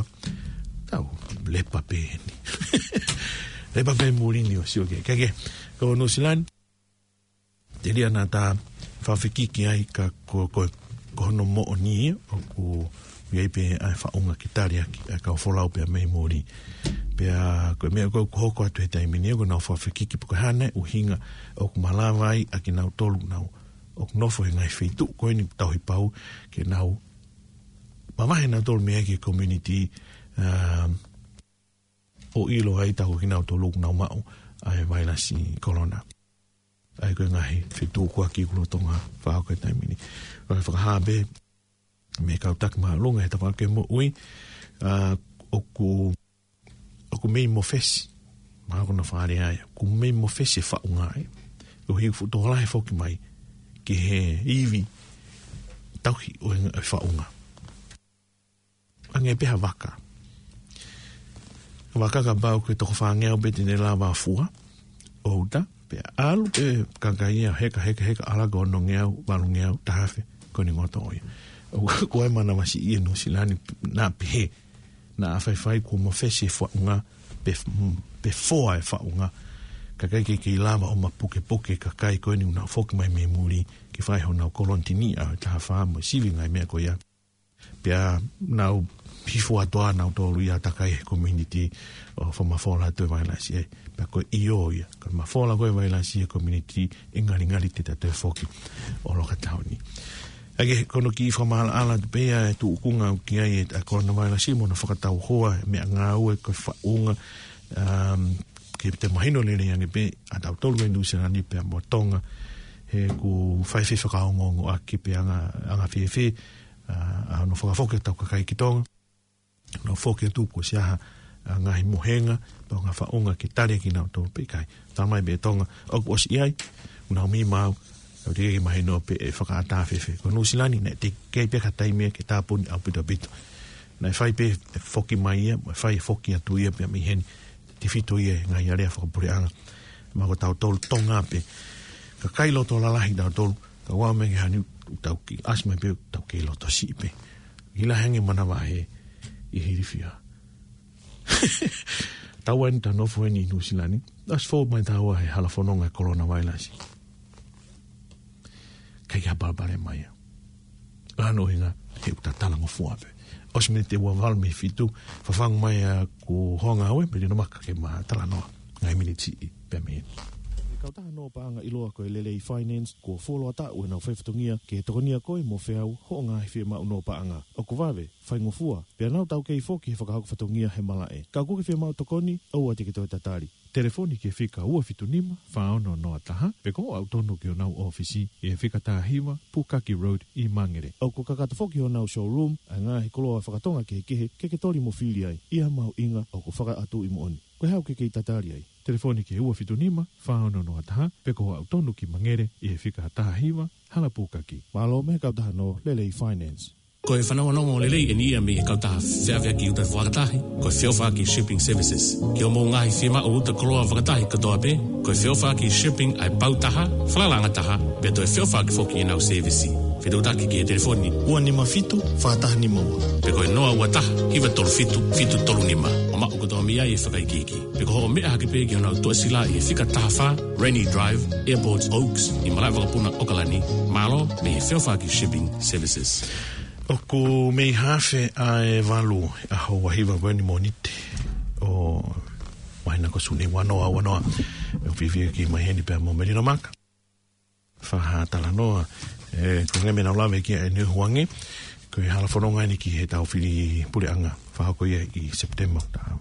tau lepa pē eni. Lepa pē muli ni ʻo sio ki ai. Kae kehe, ko Nuʻusila ni, telia naʻa ta fakafekiki ai ka ko, ko, ko hono moʻoni ia, ʻoku ʻi ai pē ʻa e faʻunga ke taliʻaki ʻa e kau folau pea mei muli. Pea ko e meʻa ko ē ʻoku hoko atu he taimi ni, ʻoku nau fakafekiki pe ko e hā nai e ʻuhinga ʻoku malava ai ʻa kinautolu nau, ʻoku nofo he ngaahi feituʻu ko eni tauhi pau, ke nau mavahe nautolu mei ai ki he community, um, ʻo ʻilo ai tā ko kinautolu ʻoku nau maʻu ʻa e vailasi kolona. ʻA ia ko e ngaahi feituʻu kuo ʻaki ʻi he lolotonga fakahoko e taimi ni. Ka fakahā pē mei he kau taki māʻolunga he tafaʻaki moʻui, ā, ʻoku, ʻoku mei mofesi, mahalo ko hono fakalea ia, ʻoku mei mofesi e faʻunga ia. ʻOku fuʻu tokolahi e foki mai ki he ivi tauhi ʻo e faʻunga. Hangē pē ha vaka. Vaka kapau ko e toko fāngeau pē te ne lava fua, ʻo uta, pea ʻalu pē kakai ia, heka, heka, heka, ʻalu ki he onongeau, valungeau, taha afe, ko eni ngoto ia. ʻOku, ko e manavasiʻi ʻi Nuʻusila ni, naʻa pehē, naʻa faifai kuo mofesi e faʻunga, pe, pe foa e faʻunga. Kakai ke, ke lava ʻo mapukepuke, kakai ko eni ʻoku nau foki mai mei muli, ke fai honau kolonitini ʻa e taha fā mo e sivi ngaahi meʻa ko ia. Pea nau hifo atu ʻa nautolu ia takai he community ʻo fakamafola atu e vailasi ē. Pea ko e ʻio ia, ko e mafola ko e vailasi he community ʻe ngalingali te ta toe foki ʻo Loka Taoni. ʻA ia ko hono kiʻi fakamaʻalaʻala atu pē ia e tuʻunga ʻoku ʻi ai e coronavirus mo hono fakatauhoa e meʻangāue ko e faʻunga, um, ke te mahino lelei ange pē ʻa tautolu ʻi Nuʻu Sila ni pea mo Tonga, he ʻoku fai fefakaongoongoʻaki pē anga, anga fēfē, ʻa, ʻa hono fakafoki ʻetau kakai ki Tonga. Nau foki atu kuo ʻosi ʻi ai ha ngaahi mohenga, pe ko e ngaahi faʻunga ke tali kinautolu pe ʻikai. Talamai pē ʻe Tonga, ʻoku ʻosi ʻi ai, ʻoku nau mei maau, ʻoku teʻeki ke mahino pe ʻe fakaʻatā fēfē. Ko Nuʻu Sila ni, naʻe teʻeki pē ha taimi ia ke tāpuni ʻaupito ʻaupito. Naʻe fai pē e foki mai ia, mo e fai e foki atu ia pea mei heni, tefito ia he ngaahi alea fakapuleʻanga. Mo ko tautolu Tonga pē, kakai loto lalahi tautolu, ka ʻoua mei ke hani ʻoku tau kei ʻasi mai pē ʻoku tau kei loto siʻi pē. ʻIlo ange manava he ʻi Hilifia. Taua eni ta nofo eni ʻi Nuʻu Sila ni. ʻOsi fou mai taua he hala fononga e coronavirus. ʻIkai ke ha palopalema ia. ʻA hono ʻuhinga he ʻoku ta talangofua pē. ʻOsi miniti ʻe ua valu mei he fitu, fafangu mai ʻa Kuo Honga Aue, Melino Maka ke ma talanoa. Ngaahi miniti siʻi pē mei heni. Ko e kautaha nō paʻanga ʻiloa ko e Lelei Finance, kuo fuoloa taʻu ʻenau faifatongia ke tokonia koe mo feau hoʻo ngaahi fiemaʻu nō paʻanga. ʻOku vave, faingofua, pea nau taukei foki he fakahoko fatongia he malaʻe. Ka ʻoku ke fiemaʻu tokoni, ʻoua te ke toe tatali. Telefoni ki he fika ua fitu nima, fā ono noa taha, pe ko hoʻo aʻu tonu ki honau ʻōfisi, ʻi he fika taha hiva, Pukaki Road, ʻi Mangere. ʻOku kakato foki honau showroom, ʻa e ngaahi koloa fakatonga kehekehe, ke ke toli mo fili ai, ʻi ha mahuʻinga ʻoku fakaʻatu ʻi moʻoni. Ko e hā ʻoku ke kei tatali ai? Telefoni ki he ua fitu nima, fā ono noa taha, pe ko hoʻo aʻu tonu ki Mangere, ʻi he fika taha hiva, Hala Pukaki. Mālō mei he kautaha nō Lelei Finance. Ko e fanongonongo lelei eni ia mei he kautaha feʻaveʻaki uta fakatahi, ko e Feʻofaʻaki Shipping Services. Ki hoʻomou ngaahi fiemaʻu uta koloa fakatahi kotoa pē, ko e Feʻofaʻaki Shipping ʻa e pau taha, falalaʻanga taha, pea toe feʻofaʻaki foki ʻenau sēvisi. Fetuʻutaki ki he telefoni ua nima fitu, fā taha nima ua. Pe ko e noa ua taha, hiva tolu fitu, fitu tolu nima. ʻO maʻu kotoa mei ai e fakaikiiki. Pe ko hoʻo meʻa hake pē ki honau tuʻasila ʻi he fika taha fā, Rainy Drive, Airport Oaks, ʻi malaʻe vakapuna ʻAokalani, mālō mei he Feʻofaʻaki Shipping Services. ʻOku mei hafe ʻa e valu ʻa e ʻaho ua hiva ko eni Mōnite ʻo e māhina ko Sune ua noa ua noa. ʻOku fiefia ke kei mai heni pea mo Melino Maka. Fakatalanoa, ē, ko e ngaahi meʻa naʻa ku lave ki ai ʻaneuhu ange, ko e hala fononga eni ki heʻetau fili puleʻanga, fakahoko ia ʻi Sepitema, ta,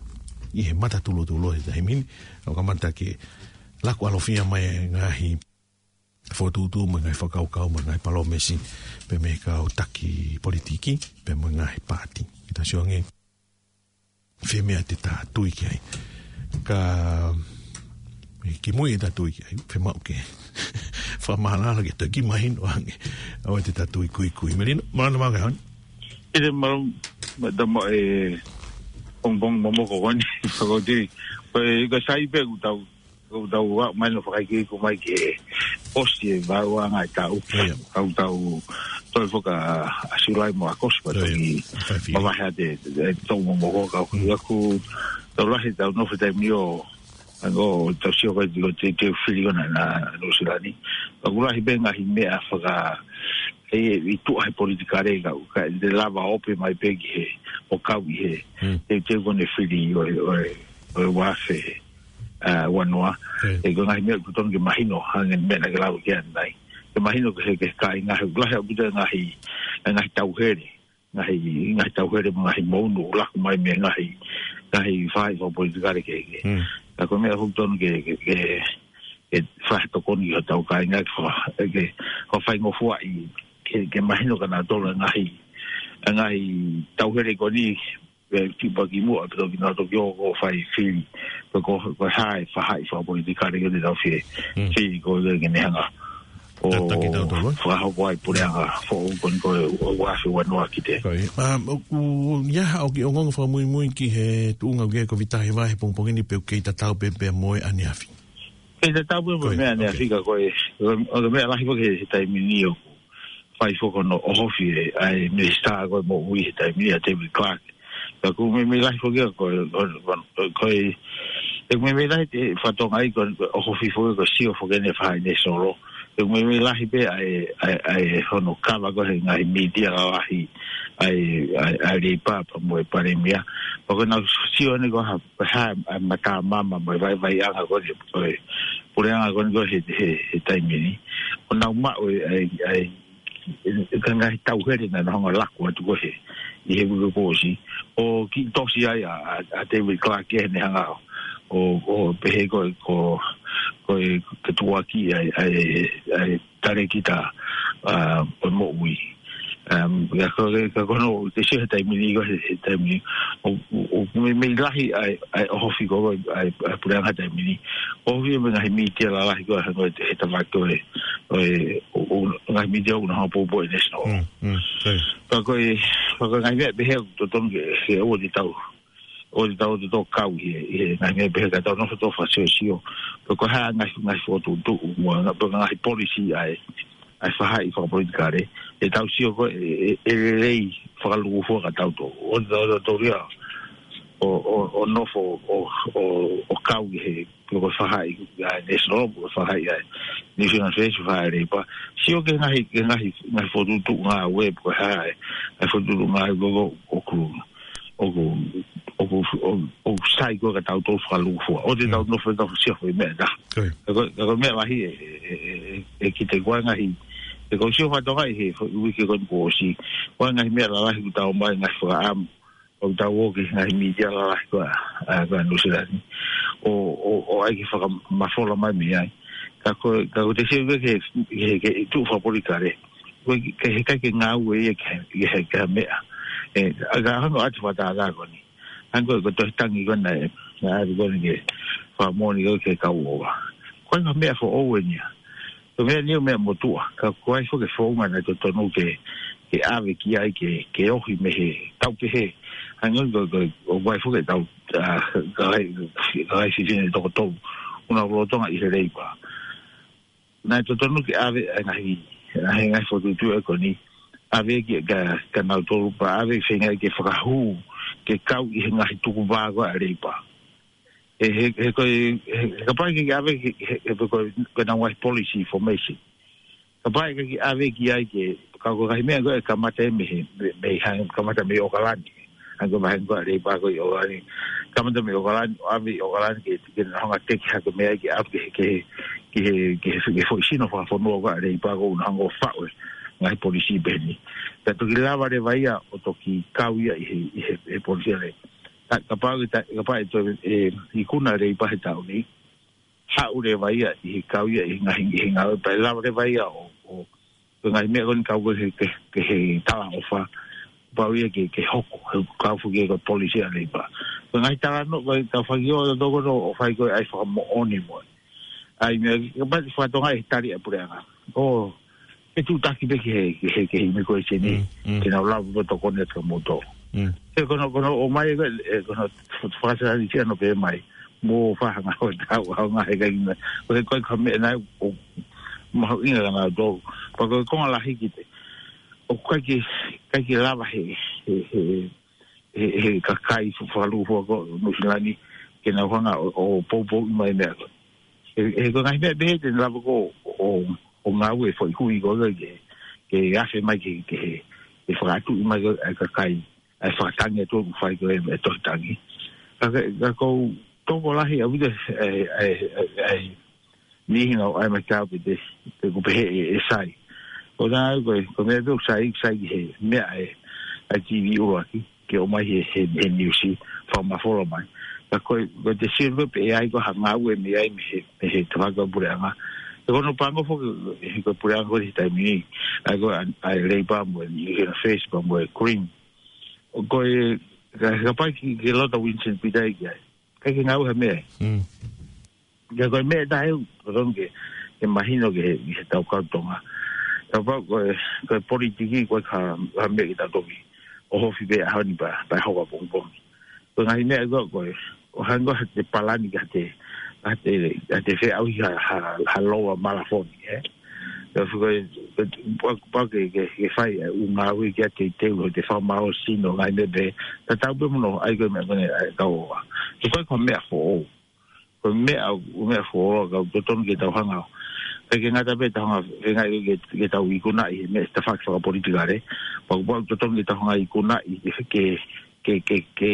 ʻi he matatulutulu he taimi ni, ʻo kamata ke laku ʻalofia mai e ngaahi fokotuʻutuʻu mo e ngaahi fakakaukau mo e ngaahi palōmesi, pea mei he kau taki politiki, pea mo e ngaahi paati. Ke ta sio ange, fē meʻa te ta tui ki ai. Ka, ē, kimuʻa ʻi heʻeta tui ki ai, fiemaʻu ke fakamaʻalaʻala ke toe kiʻi mahino ange. ʻOua te ta tui kuikui. Melino, mālō Maka hon. ʻIte mālō, ma tama e pongipongi momoko ko eni, fakoti. Ko e, ko e sai pē ʻoku tau, ʻoku tau ʻa mai no fakaikiiki mai ke ʻosi e vaʻa anga e taʻu. ʻIo. Ka ʻoku tau toe foki ʻa Siulai mo ʻAokosi pea ʻIo. toki Fai fili. mavahe atu e, e tau momoko ka ʻoku Mm. ʻoku tau lahi tau nofo taimi ʻo, ʻa ʻoku tau sio ko e tiko te, te fili ʻona na Nuʻu Sila ni. Ka ʻoku lahi pē ngaahi meʻa faka, e, ʻi tuʻa he politikale ka, ka te lava ope mai pē ki he, ʻo kau ʻi he, Mm. te, te kone fili ʻo, ʻo, ʻo e uafe, ʻa, ua noa. ʻIo. ʻE ko e ngaahi meʻa ʻoku totonu ke mahino, hangē ko e meʻa naʻa ke lau ki ai ʻanenai. Ke mahino ke he, ke kāinga he ʻoku lahi ʻaupito e ngaahi, e ngaahi tauhele, ngaahi, ngaahi tauhele mo e ngaahi mounu ʻoku laku mai mei he ngaahi, ngaahi faʻahi fakapolitikale kehekehe. Mm. Ka ko e meʻa ʻoku totonu ke, ke, ke, ke fakatokoni ki hotau kāinga ke fa-, ke, ke faingofua ai, ke, ke mahino kia nautolu e ngaahi, e ngaahi tauhele ko eni, ʻe tipa ki muʻa, pea toki nau toki ō ʻo fai fili. Pea ko, ko e hā e faʻahi fakapolitikale ko eni ʻoku tau fie, Mm. fili ko ē ke ne hanga ʻo Tataki tautolu, ē? fakahoko ai puleʻanga foʻou ko eni ko e ua, ua afe ua noa ki te. Ko ia. Um, ʻoku ʻi ai haʻo kiʻi ongoongo fakamuimui ki he tuʻunga ʻoku ʻi ai e Kōviti taha hiva he pongipongi ni pe ʻoku kei tatau pē pea mo e ʻaneafi? Kei tatau pē mo Ko ia, e meʻa ʻaneafi okay. ka ko e, ko e, ko e meʻa lahi foki he, he taimi ni ʻoku fai foki hono ʻohofi e, ʻa e minisitā ko ē moʻui he taimi ni ʻa David Clark. Ka ʻoku meimei lahi foki ia ko e, ko e, ko e, ʻoku meimei lahi e fatongia ko e ʻohofi foki ko e sio foki ʻene fai ʻene solo. Te u meimei lahi pē ʻa e, ʻa e, ʻa e hono kava ko ē he ngaahi mītia lalahi ʻa e, ʻa e, ʻa e Leipa pea mo e Palēmia. Pea ko ʻenau sio eni ko e hā, ko e hā ʻa e matamama mo e vaivaiʻanga ko ē, ko e puleʻanga ko eni ko ē he, he, he taimi ni. ʻO nau maʻu e, ʻa e, ʻa e, ʻa e ngaahi tauhele naʻa nau hanga ʻo laku atu ko ē he, ʻi he uike kuo ʻosi. ʻO kiʻi tosi ai ʻa, ʻa, ʻa David Clarke ʻi heʻene hanga ʻo, ʻo, ʻo pehē ko e, ko, ko e, ko e tuʻuaki ʻa e, ʻa e, ʻa e talēkita, ʻa, ʻo e moʻui. Um, ka ko, ka ko hono, te sio he taimi ni, ko e he, he taimi ni. ʻO, ʻo, ʻo meimei lahi ʻa e, ʻa e ʻohofi ko ē, ʻa e, ʻa e puleʻanga he taimi ni. ʻOhofi mo e ngaahi mītia lalahi ko ē, ko e he tafaʻaki ko ē, ʻo e, ʻo, ʻo, ngaahi mītia ʻoku nau hanga ʻo poupou e National. Mm, mm, okay. Ka ko e, ka ko e ngaahi meʻa pehē ʻoku totonu ke, ke ʻoua te tau ʻo te tau te tau kau ʻi he, ʻi he ngaahi meʻa pehē ka tau nofo tau fakasiosio. Pe ko e hā ngaahi, ngaahi fokotuʻutuʻu, mo e ngaahi, pe ko e ngaahi policy ʻa e, ʻa e faʻahi fakapolitikale. ʻE tau sio ko ē, ʻe, ʻe, ʻe lelei fakalūkufua kia tautolu. ʻO te tau, tau ria, ʻo, ʻo, ʻo nofo, ʻo, ʻo, ʻo kau ʻi he, pe ko e faʻahi, ʻa e National, pe ko e faʻahi ʻa e New Zealand First, faʻahi Leipa. Sio ki he ngaahi, ki he ngaahi, ngaahi fokotuʻutuʻu ngāue, pe ko e hā e, ngaahi fokotuʻutuʻu ngāue ko ē, ʻoku, ʻoku, ʻoku, ʻoku, ʻoku sai ko ē kia tautolu fakalūkufua. ʻO te tau nofo tau sio ko e meʻa ʻe taha. Ka ko, ka ko e meʻa lahi ʻe, ʻe, ʻe, ʻe, ʻe kiʻi te ko e ngaahi, ʻe ko sio fakatokangaʻi he, he uike ko eni kuo ʻosi. Ko e ngaahi meʻa lalahi kuo tau ʻomai ngaahi fakaʻamu. ʻOku tau ō ki he ngaahi mītia lalahi ko ē, ʻa, ko ē New Zealand. ʻO, ʻo, ʻo ʻai ke fakamafola mai mei ai. Ka ko, ka ko te sio ki he, ki he, ki he tuʻu fakapolitikale. Ko e, ke he kai ke ngāue ia ke, ke he, ke he meʻa. ʻE, ʻa ka hanga atu fakatātā ko eni. Hanga ko e tohi tangi ko ena ʻe, na atu ko eni ke fakamoʻoni ko ē ke kau ʻova. Ko e ngaahi meʻa foʻou eni ia. Ko e meʻa ni ʻo meʻa motuʻa, ka ko e foʻi founga naʻe totonu ke, ke ʻave ki ai ke, ke ohi mei he tau pehē. Hanga ko, ko, ko e foʻi tau, ʻa, ka ai, ka ai fifine toko tolu, ʻoku nau lolotonga ʻi he Leipa. Naʻe totonu ke ʻave, ʻa e ngaahi, ʻa e ngaahi fokotuʻutuʻu ko eni. ʻAve ki, kia, kia nautolu pea ʻave feinga ke fakahū, ke kau ʻi he ngaahi tukuvā ko ē ʻa e Leipa. ʻE, he, he ko e, he, he kapau ʻe ʻikai ke ʻave, he, he, he ko e, ko ʻenau ngaahi policy information. Kapau ʻe ʻikai ke ʻave ki ai ke, ka ko e ngaahi meʻa ko ē kamata mei he, mei, mei hang, kamata mei ʻOkalani. Hanga ko e vahenga ko ē ʻa e Leipa ko ē ʻi ʻOkalani. Kamata mei ʻOkalani, ʻave ʻi ʻOkalani ke, ke nau hanga ʻo teke hake mei ai ke ʻave ki he, ki he, ki he, ki he foʻi sino fakafonua ko ē ʻa e Leipa ko ē ʻoku nau hanga ʻo faʻu e ngaahi policy pehē ni. Ka toki lava leva ia ʻo toki kau ia ʻi he, ʻi he, he policy ʻa e Leipa. Ka, kapau ʻe ta-, kapau ʻe toe, ʻe, ikuna Leipa he taʻu ni, haʻu leva ia ʻi he kau ia ʻi he ngaahi, ʻi he ngāue pea lava leva ia ʻo, ʻo, ko e ngaahi meʻa ko eni kau ko ē ke, ke, ke he talaʻofa, pau ia ke, ke hoko, he kau foki ko e policy ʻa e Leipa. Ko e ngaahi talanoa, ko e kau faki ʻo toko no, ʻo fai ko ē ʻa e fakamoʻoni mo e ʻa e meʻa, kapau te fakatokangaʻi he tali ʻa e puleʻanga. ʻO, ʻe tuʻutaki pē ki he, ki he, ki he immigration ni. Mm, mm. Ke nau lava ʻo tokoni atu kia moutolu. Mm. He ko hono, ko hono ʻomai ko ē, ʻe, ko hono fakasalalisia hono pehē mai. Mo fakahanga ʻo tau, ʻo ngaahi ʻikai ke na. Ko e, ko e ka meʻa naʻe ʻo mahuʻinga kia nautolu. Pea ko e konga lahi ki te. ʻOku ʻikai ke, ʻikai ke lava he, he, he, he, he kakai fa-, fakalūkufua ko ē Nuʻusila ni, ke nau hanga ʻo, ʻo poupouʻi mai meʻa ko ē. He, he ko e ngaahi meʻa pehē te ne lava ko ē ʻo, ʻo ngāue foʻi hui ko ē ke, ke afe mai ke, ke he, ke fakaʻatuʻi mai ko ē ʻa e kakai, ʻa e fakatangi atu ʻoku fai ko ē ʻa e tohi tangi. Ka ke, ka ʻoku ou tokolahi ʻaupito ʻa e, ʻa e, ʻa e, ʻa e, niʻihi naʻa nau ʻai mai kiate au pe te, pe ʻoku pehē ʻe, ʻe sai. ʻO nā ko e, ko e meʻa pē ʻoku sai, sai ki he meʻa ʻa e, ʻa e TV ʻuluaki, ke ʻomai he, he, he niusi, fakamafola mai. Ka ko e, ko e te sio ko ē pe ʻe ʻi ai ko ha ngāue mei ai mei he, mei he tafaʻaki ʻo e puleʻanga. He ko hono pango foki, he ko e puleʻanga ko ē he taimi ni, ʻa e ko ē ʻa, ʻa e Leipa mo e, ʻi he na Facebook mo e Green. ʻO ko e, ka, kapau ke, ke loto Winston Peters ki ai. ʻIkai ke ngāue ha meʻa. Mm. Ka ko e meʻa ʻe taha ʻoku totonu ke, ke mahino ki he, ki he tau kau Tonga. Kapau ko e, ko e politiki ko e ka, ka meʻa ke tau toki ʻohofi pē ʻaho ni pea, pea hoko ʻapongipongi. Ko e ngaahi meʻa ko ē, ko e, ʻoku hanga ʻo te palani ka te, ka te, ka te feʻauhi ha, ha, ha loa malafoni, ē? Ka ko e, ko e, pau, pau ke, ke, ke fai ʻa e ʻū ngāue ke ʻai ke teu ʻo te fakamālohisino ngaahi meʻa pē, tatau pē mo hono ʻai ko ē meʻa ko eni ʻa e kau ʻofa. He ko e ko e meʻa foʻou. Ko e meʻa, ko e meʻa foʻou ka ʻoku totonu ke tau hanga ʻo Pea ʻikai ngata pē ʻetau hanga, ʻikai ngata ke, ke tau ikunaʻi he meʻa ʻi he tafaʻaki fakapolitikale. Pea kuo pau totonu ke tau hanga ikunaʻi ke, ke, ke, ke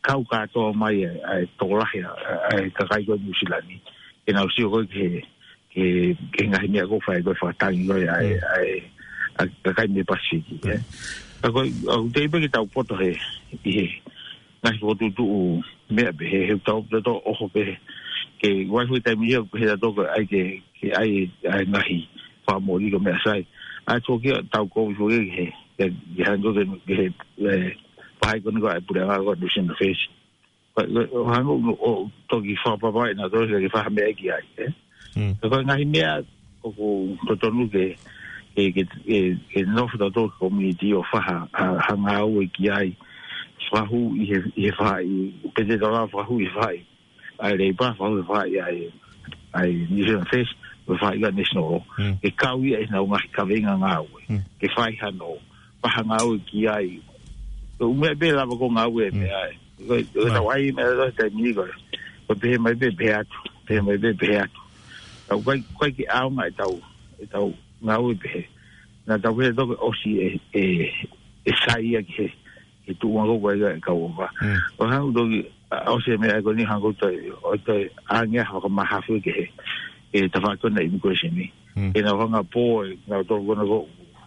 kau kātoa mai ʻa e, ʻa e tokolahi ʻa e, ʻa e kakai ko ē Nuʻusila ni. Ke nau sio ko ē ki he, ki he, ki he ngaahi meʻa ko ē ʻoku fai ko ē fakatangi ko ē ʻa e, Mm. ʻa e, ʻa e kakai mei Pasifiki, ē. Ka ko e, ʻoku teʻeki pē ke tau poto he, ʻi he ngaahi fokotuʻutuʻu meʻa pehē, he ʻoku tau, tau ʻoho pē he, ke ʻi ai foki e taimi ia, he tau toko ai ke, ke ʻai, ʻai ngaahi fakamoʻoni ko e meʻa sai. ʻA e tō kia tau kovi foki he, he, he hangē ko e, he, he, pahai ko eni ko e puleʻanga ko e Nuʻusila First. Ko e, ko e, ʻo hangē ʻo, ʻo toki fakapapauʻi nautolu ke fai ha meʻa ki ai, ē? Mm. Ka ko e ngaahi meʻa ʻoku totonu ke, ke, ke, ke, ke nofo tautolu community ʻo fai ha, ha, ha ngāue ki ai. Fakahū ʻi he, ʻi he faʻahi, pete tala fakahū ʻi he faʻahi ʻa e Leipa, fakahū ʻi he faʻahi ʻa e, ʻa e Nuʻusila First, ʻi he faʻahi ʻa e National Law. Mm. Ke kau ia ʻi heʻenau ngaahi kaveinga ngāue. Mm. Ke fai hano, fai ha ngāue ki ai. Ko e ʻū meʻa pē lava ko e ngāue Mm. meʻa ē. Ko e, ko e Right. tau ʻai meʻa ʻi he taimi ni ko ē. Ko e pehē mai pē, pehē atu. Pehē mai pē, pehē atu. Tau kai, kai ke ʻaonga ʻetau, ʻetau ngāue pehē. Naʻa tau pehē toko ʻosi ʻe, ʻe, ʻe sai ia ki he, he tuʻunga ko ē ʻa e kau ʻofa. Mm. ʻO hangē toki, ʻa, ʻosi e meʻa ko eni hangē ko e toe, ʻo toe ʻange ha fakamahafu ki he, he tafaʻaki ko ena ʻa e immigration ni. Mm. Ke nau hanga ʻo pō, ʻe, nautolu ko ena ko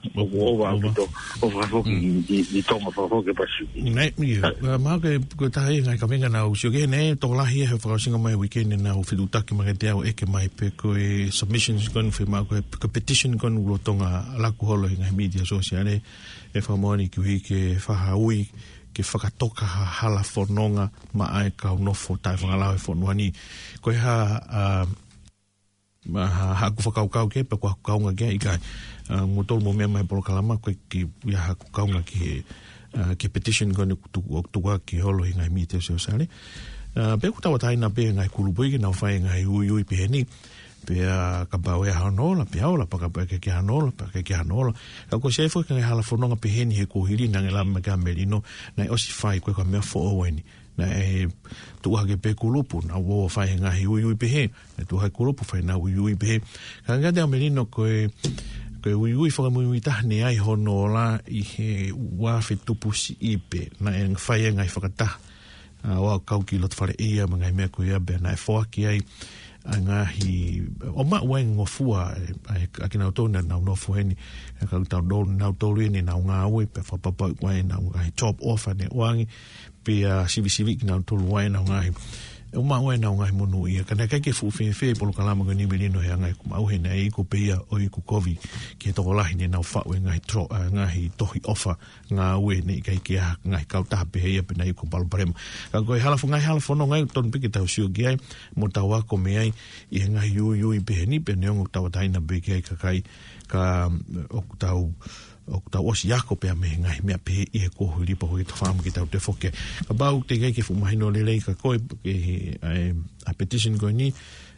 ʻoku ʻova ʻaupito, ʻofa foki Mm. ʻi, ʻi, ʻi Tonga, ʻofa foki ki Pasifiki. Naʻe, ʻio, ʻa, mahalo ko e, ko e taha ia e ngaahi kaveinga naʻa ku sio ki ai, naʻe tokolahi ia he fakaʻosinga mai uike ni naʻa ku fetuʻutaki mai kiate au ʻeke mai pe ko e submissions ko eni, fiemaʻu ko e, ko e petition ko eni ʻoku lolotonga laku holo he ngaahi mītia sōsiale, ʻe fakamoʻoni ki he ʻuhi ke fai ha ui, ke fakatoka ha hala fononga maʻa e kau nofo taʻefakalao he fonua ni. Ko e hā, ʻa, ma-, ha-, haʻaku fakakaukau ki ai, pe ko haʻaku kaunga ki ai, ʻikai. ʻA, mou tolu mou meʻa mai he polokalama, ko e ʻikai ke ʻi ai haʻaku kaunga ki he, ʻa, ki he petition ko eni ʻoku tuku, ʻoku tukuaki holo he ngaahi mītia sōsiale. ʻA, pea ʻoku tauʻatāina pē ngaahi kulupu ia ke nau fai ngaahi uiui pehē ni. Pea kapau ʻe ʻi ai hano ola, pea ola, pea kapau ʻe ʻikai ke ʻi ai hano ola, pea ʻikai ke ʻi ai hano ola. Ka ko e sefo ke ngaahi hala fononga pehē ni he kuohili naʻe lava mai ki ai ʻa Melino, naʻe ʻosi fai ko e ka meʻa foʻou eni. Naʻe tuʻu hake pē kulupu, nau ō ʻo fai he ngaahi uiui pehē, naʻe tuʻu hake kulupu fai ʻenau uiui pehē. Ka ʻikai te ʻa Melino ko e, ko e uiui fakamuimui taha naʻe ʻi ai hono ola ʻi he ua afe tupu siʻi pē, naʻe fai e ngaahi fakataha. ʻA, ʻo aʻu kau ki loto fale ʻia mo e ngaahi meʻa ko ia pea naʻe foaki ai ʻa e ngaahi, ʻo maʻu ai e ngofua, ʻe, ʻa e, ʻa kinautolu naʻa nau nofo heni, ʻa e kau tau nau, nautolu eni ʻenau ngāue, pea fakapapauʻi ko e ʻenau ngaahi job offer naʻe ʻoange, pea sivisiviʻi kinautolu ai ʻenau ngaahi, ʻo maʻu ai ʻenau ngaahi monūʻia. Ka naʻe ʻikai ke fuʻu fēfē e polokalama ko eni Melino he anga ʻeku maʻu he naʻe iku pē ia ʻo iku kovi ki he tokolahi naʻa nau faʻu e ngaahi tro-, ʻa, ngaahi tohi ʻofa ngāue naʻe ʻikai ke ʻi ai ha ngaahi kautaha pehē ia pe naʻe iku palopalema. Ka ko e hala fo-, ngaahi hala fononga ia ʻoku totonu pē ke tau sio ki ai, mo tau ako mei ai, ʻi he ngaahi uiui pehē ni, pea neongo ʻoku tauʻatāina pē ki ai e kakai, ka, mm, ʻoku tau, ʻoku tau ʻosi ako pē ia mei he ngaahi meʻa pehē ʻi he kuohili pea ko e tau fakaʻamu ke tau toe foki. Kapau ʻoku teʻeki ai ke fuʻu mahino lelei kia koe, ke he, ʻa e, ʻa e petition ko eni,